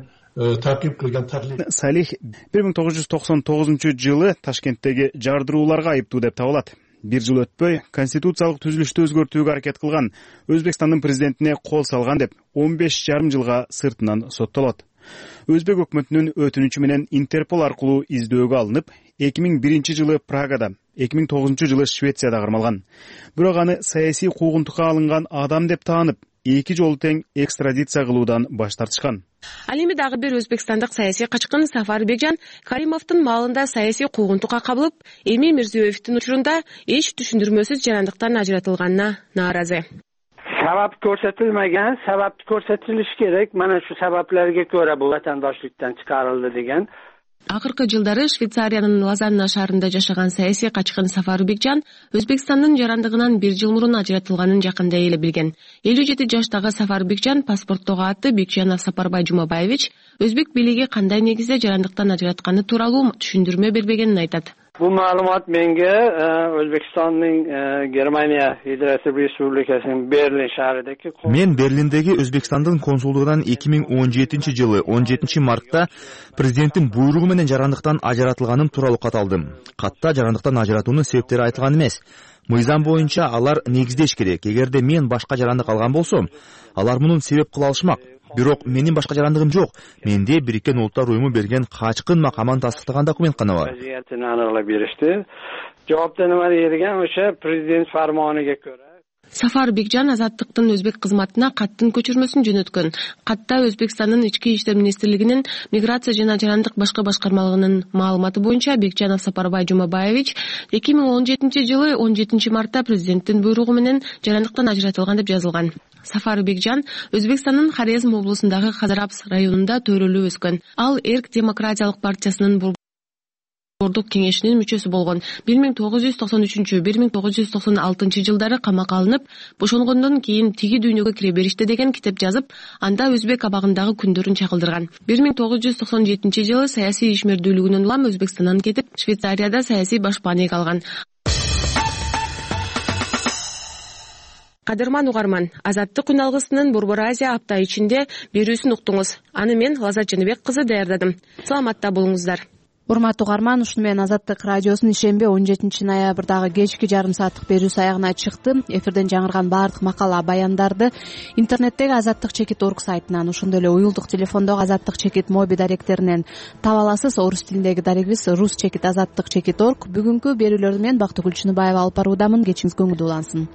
такип кылган тарлик. Салих бир миң тогуз жүз токсон тогузунчу жылы Ташкенттеги жардырууларга айыптуу деп табылат. Бир жыл өтпөй конституциялык түзүлүштү өзгөртүүгө аракет кылган, Өзбекстандын президентине кол салган деп он беш жарым жылга сыртынан соттолот. Өзбек өкмөтүнүн өтүнүчү менен Интерпол аркылуу издөөгө алынып, эки миң биринчи жылы Прагада, эки миң тогузунчу жылы Швецияда кармалган. Бирок аны саясий куугунтукка алынган адам деп таанып, эки жолу тең экстрадиция кылуудан баш тартышкан. Ал эми дагы бир өзбекстандык саясий качкын Сафар Бекжан Каримовдун малында саясий куугунтукка кабылып, эми Мирзиёевдин учурунда эч түшүндүрмөсүз жарандыктан ажыратылганына нааразы. Sabab көрсөтүлмөгөн, sabab көрсөтүлүш керек. Мана şu себеплерге көрө бул ватандаштыктан чыгарылды деген. Акыркы жылдары Швейцариянын Лозанна шаарында жашаган саясий качкын Сафар Бекжан Өзбекстандын жарандыгынан бир жыл мурун ажыратылганын жакында эле билген. элүү жети жаштагы Сафар Бекжан паспорттогу аты Бекжанов Сапарбай Жумабаевич Өзбек бийлиги кандай негизде жарандыктан ажыратканы тууралуу түшүндүрмө бербегенин айтат. Bu malumat menga O'zbekistonning Germaniya Federatsiya Respublikasining Berlin shahridagi Men Berlindagi O'zbekistondун консулдугунан эки миң он жетинчи жылы он жетинчи мартта президенттин буйругу менен жарандыктан ажыратылганым тууралуу кат алдым. Катта жарандыктан ажыратуунун себептери айтылган эмес. мыйзам боюнча алар негиздеш керек. Эгерде мен башка жарандык алган болсом, алар муну себеп кыла алышмак. Бирок менин башка жарандыгым жок. Менде Бириккен Улуттар уюму берген качкын макамын тастыктаган документ гана бар. Жоопты нема деген ошо президент фармонига көрө. Сафар Бекжан Азаттыктын өзбек кызматына каттын көчүрмөсүн жөнөткөн. Катта Өзбекстандын ички иштер министрлигинин миграция жана жарандык башка башкармалыгынын маалыматы боюнча Бекжанов Сапарбай Жумабаевич эки миң он жетинчи жылы он жетинчи мартта президенттин буйругу менен жарандыктан ажыратылган деп жазылган. Сафар Бекжан Өзбекстандын Хорезм облусундагы Хазарапс районунда төрөлүп өскөн. Ал Эрк демократиялык партиясынын Бордук кеңешинин мүчөсү болгон. бир миң тогуз жүз токсон үчүнчү — бир миң тогуз жүз токсон алтынчы жылдары камакка алынып, бошонгондон кийин тиги дүйнөгө кире беришти деген китеп жазып, анда өзбек абагындагы күндөрүн чагылдырган. бир миң тогуз жүз токсон жетинчи жылы саясий ишмердүүлүгүнөн улам Өзбекстандан кетип, Швейцарияда саясий башпаанек алган. Кадырман угарман, Азаттык күн алгысынын Борбор Азия апта ичинде берүүсүн уктуңуз. Аны мен Лазат Жаныбек кызы даярдадым. Саламатта болуңуздар. Урматтуу угарман, ушуну менен Азаттык радиосунун ишемби он жетинчи ноябрдагы кечки жарым сааттык берүүсү аягына чыкты. Эфирден жаңырган баардык макала баяндарды интернеттеги азаттык чекит точка орг сайтынан, ошондой эле уюлдук телефондогу Азаттык чекит моби даректеринен таба аласыз. Орус тилиндеги дарегибиз рус чекит азаттык чекит точка орг. Бүгүнкү берүүлөрдү мен Бактыгүл Чыныбаева алып баруудамын. Кечиңиз көңүлдүү улансын.